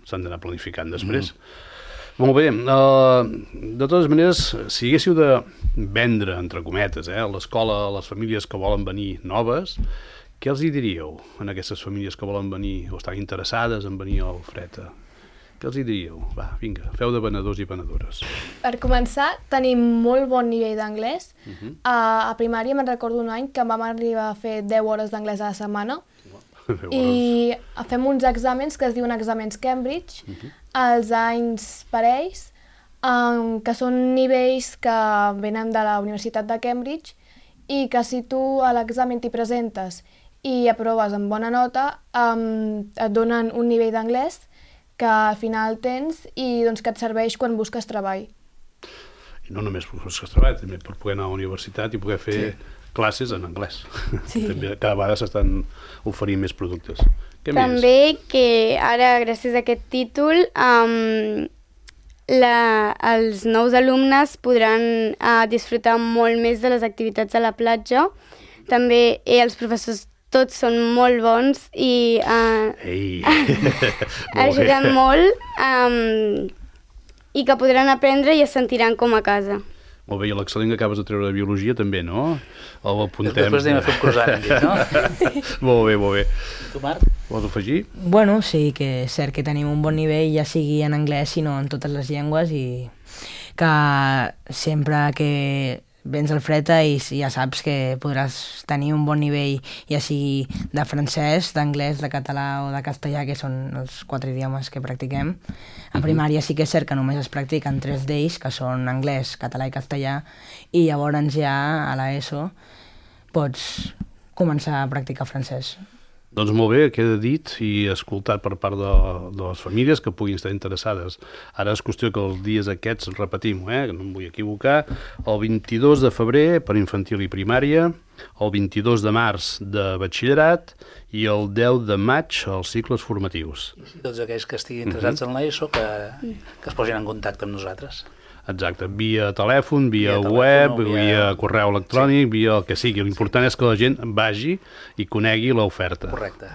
s'han d'anar planificant després. Molt bé, de totes maneres, si haguéssiu de vendre, entre cometes, a l'escola, a les famílies que volen venir noves, què els hi diríeu a aquestes famílies que volen venir o estan interessades en venir al Freta? Què els hi diríeu? Va, vinga, feu de venedors i venedores. Per començar, tenim molt bon nivell d'anglès. A primària me'n recordo un any que vam arribar a fer 10 hores d'anglès a la setmana. I fem uns exàmens que es diuen exàmens Cambridge, els anys parells, que són nivells que venen de la Universitat de Cambridge i que si tu a l'examen t'hi presentes i aproves amb bona nota, et donen un nivell d'anglès que al final tens i doncs, que et serveix quan busques treball. i no només professors que es treballen, també per poder anar a la universitat i poder fer classes en anglès. També cada vegada s'estan oferint més productes. Què també més? Que ara, gràcies a aquest títol, els nous alumnes podran disfrutar molt més de les activitats a la platja. També els professors tots són molt bons i ajuden molt i que podran aprendre i es sentiran com a casa. Molt bé, i l'excel·lent que acabes de treure de biologia també, no? O apuntem. Després anem a fer un croissant, no? Molt bé, molt bé. Tu, Marc? Vols afegir? Bueno, sí que és cert que tenim un bon nivell, ja sigui en anglès, sinó en totes les llengües, i que sempre que vens al Freta i ja saps que podràs tenir un bon nivell, ja sigui de francès, d'anglès, de català o de castellà, que són els 4 idiomes que practiquem. A primària sí que és cert que només es practiquen 3 d'ells, que són anglès, català i castellà, i llavors ja a l'ESO pots començar a practicar francès. Doncs molt bé, queda dit i escoltat per part de les famílies que puguin estar interessades. Ara és qüestió que els dies aquests, repetim, que no em vull equivocar, el 22 de febrer per infantil i primària, el 22 de març de batxillerat i el 10 de maig els cicles formatius. I tots aquells que estiguin interessats en l'ESO que es posin en contacte amb nosaltres. Exacte, via telèfon, via web, via correu electrònic, via el que sigui. L'important és que la gent vagi i conegui l'oferta. Correcte.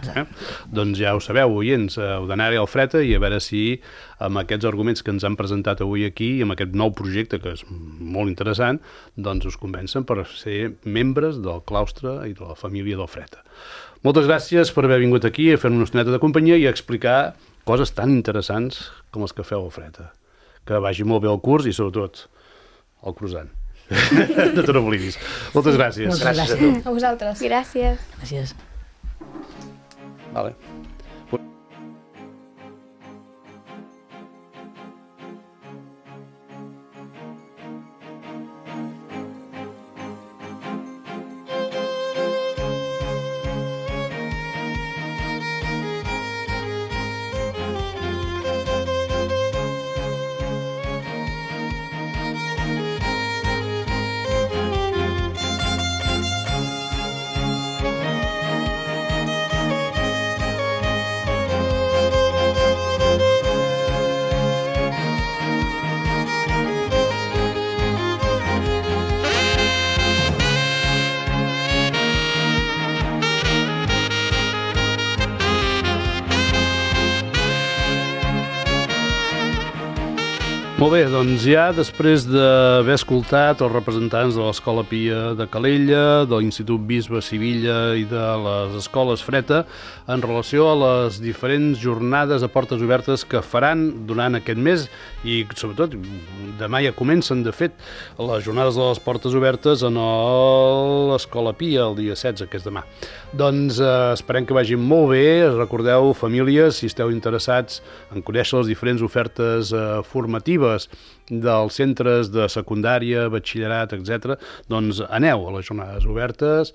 Doncs ja ho sabeu, oients, heu d'anar-hi al Freta i a veure si amb aquests arguments que ens han presentat avui aquí i amb aquest nou projecte, que és molt interessant, doncs us convencen per ser membres del claustre i de la família del Freta. Moltes gràcies per haver vingut aquí a fer una estoneta de companyia i a explicar coses tan interessants com les que feu al Freta. Que vagi molt bé el curs i, sobretot, el croissant. No te n'oblidis. Moltes gràcies. Moltes gràcies a tu. A vosaltres. Gràcies. Gràcies. Vale. Molt bé, doncs ja després d'haver escoltat els representants de l'Escola Pia de Calella, de l'Institut Bisbe Sivilla i de les Escoles Freta en relació a les diferents jornades a portes obertes que faran durant aquest mes i sobretot demà ja comencen de fet les jornades de les portes obertes en l'Escola Pia el dia 16, que és demà. Doncs esperem que vagin molt bé. Recordeu, famílies, si esteu interessats en conèixer les diferents ofertes formatives dels centres de secundària, batxillerat, etc., doncs aneu a les jornades obertes,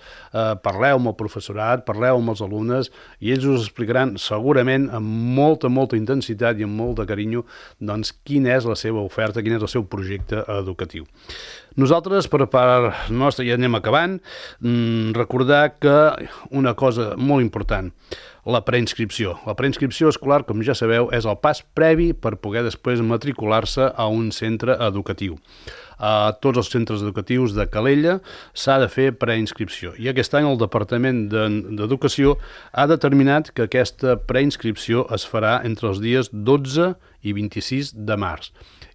parleu amb el professorat, parleu amb els alumnes i ells us explicaran segurament amb molta, molta intensitat i amb molt de carinyo doncs quina és la seva oferta, quin és el seu projecte educatiu. Nosaltres, per part nostra, ja anem acabant, recordar que una cosa molt important, la preinscripció. La preinscripció escolar, com ja sabeu, és el pas previ per poder després matricular-se a un centre educatiu. A tots els centres educatius de Calella s'ha de fer preinscripció. I aquest any el Departament d'Educació ha determinat que aquesta preinscripció es farà entre els dies 12 i 26 de març.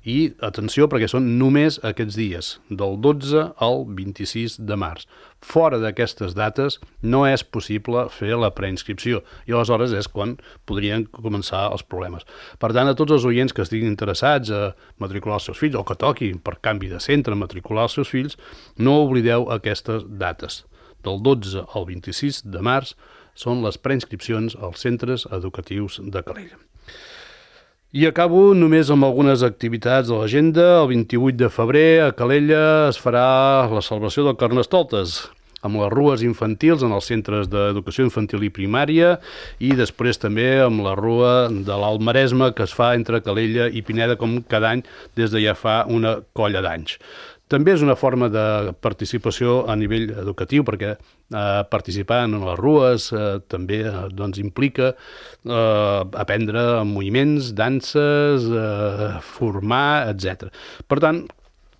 I, atenció, perquè són només aquests dies, del 12 al 26 de març. Fora d'aquestes dates no és possible fer la preinscripció i aleshores és quan podrien començar els problemes. Per tant, a tots els oients que estiguin interessats a matricular els seus fills o que toquin per canvi de centre matricular els seus fills, no oblideu aquestes dates. Del 12 al 26 de març són les preinscripcions als centres educatius de Calella. I acabo només amb algunes activitats de l'agenda. El 28 de febrer a Calella es farà la celebració del Carnestoltes. amb les rues infantils en els centres d'educació infantil i primària i després també amb la rua de l'Alt Maresme que es fa entre Calella i Pineda com cada any des de ja fa una colla d'anys. També és una forma de participació a nivell educatiu perquè participar en les rues també implica aprendre moviments, danses, formar, etc. Per tant,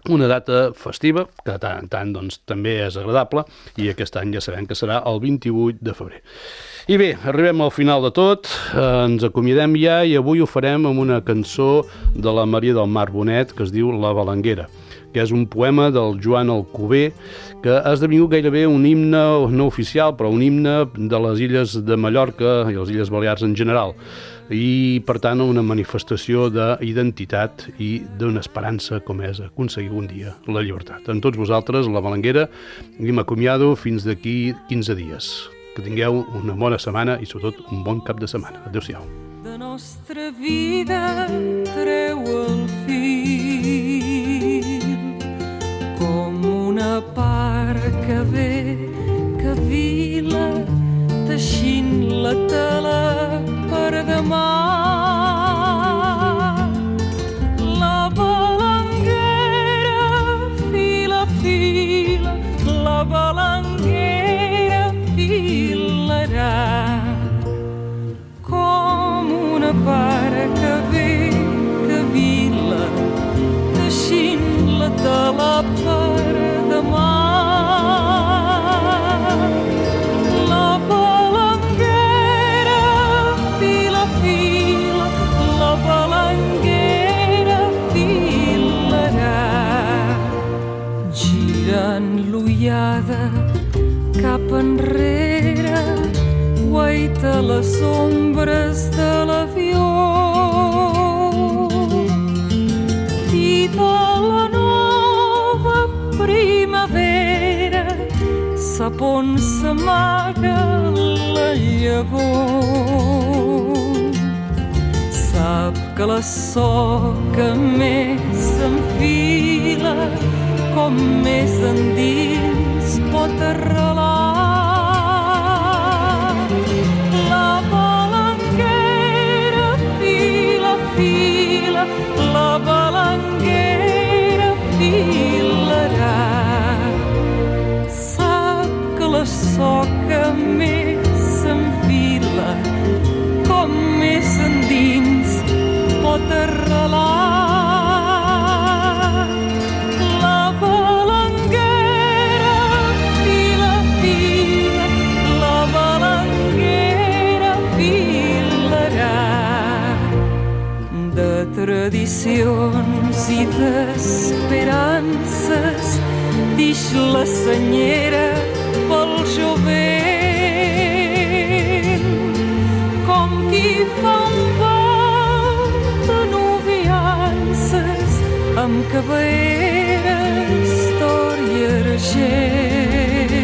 una data festiva, que de tant en tant també és agradable, i aquest any ja sabem que serà el 28 de febrer. I bé, arribem al final de tot, ens acomiadem ja i avui ho farem amb una cançó de la Maria del Mar Bonet que es diu La Balanguera, que és un poema del Joan Alcover que ha esdevingut gairebé un himne no oficial, però un himne de les illes de Mallorca i les Illes Balears en general, i per tant una manifestació d'identitat i d'una esperança com és aconseguir un dia la llibertat. Amb tots vosaltres, La Balanguera, i m'acomiado fins d'aquí 15 dies. Que tingueu una bona setmana i sobretot un bon cap de setmana. Adéu-siau. De nostra vida treu el fil com una part que ve, que vila, teixint la tela per demà. La balanguera fila, fila, la balanguera filarà com una part que ve, que vila, teixint la tela per demà. Cap enrere guaita les ombres de l'avió i de la nova primavera sap on s'amaga la llavor. Sap que la soca més s'enfila com més endins pot arrelar. La balanguera fila, fila, la balanguera filarà. Sap que la soca més s'enfila com més endins pot arrelar. Tradicions i d'esperances dix la senyera pel jovent, com qui fa un bal de noviances amb cabelleres d'or i argent.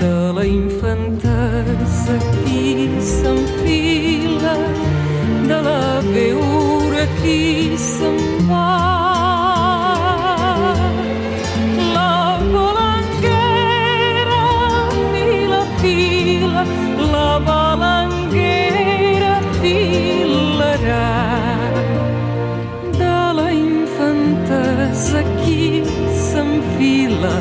De la infantesa qui s'enfila, de la veure qui se'n va. La balanguera fila, fila, la balanguera filarà. De la infantesa qui s'enfila,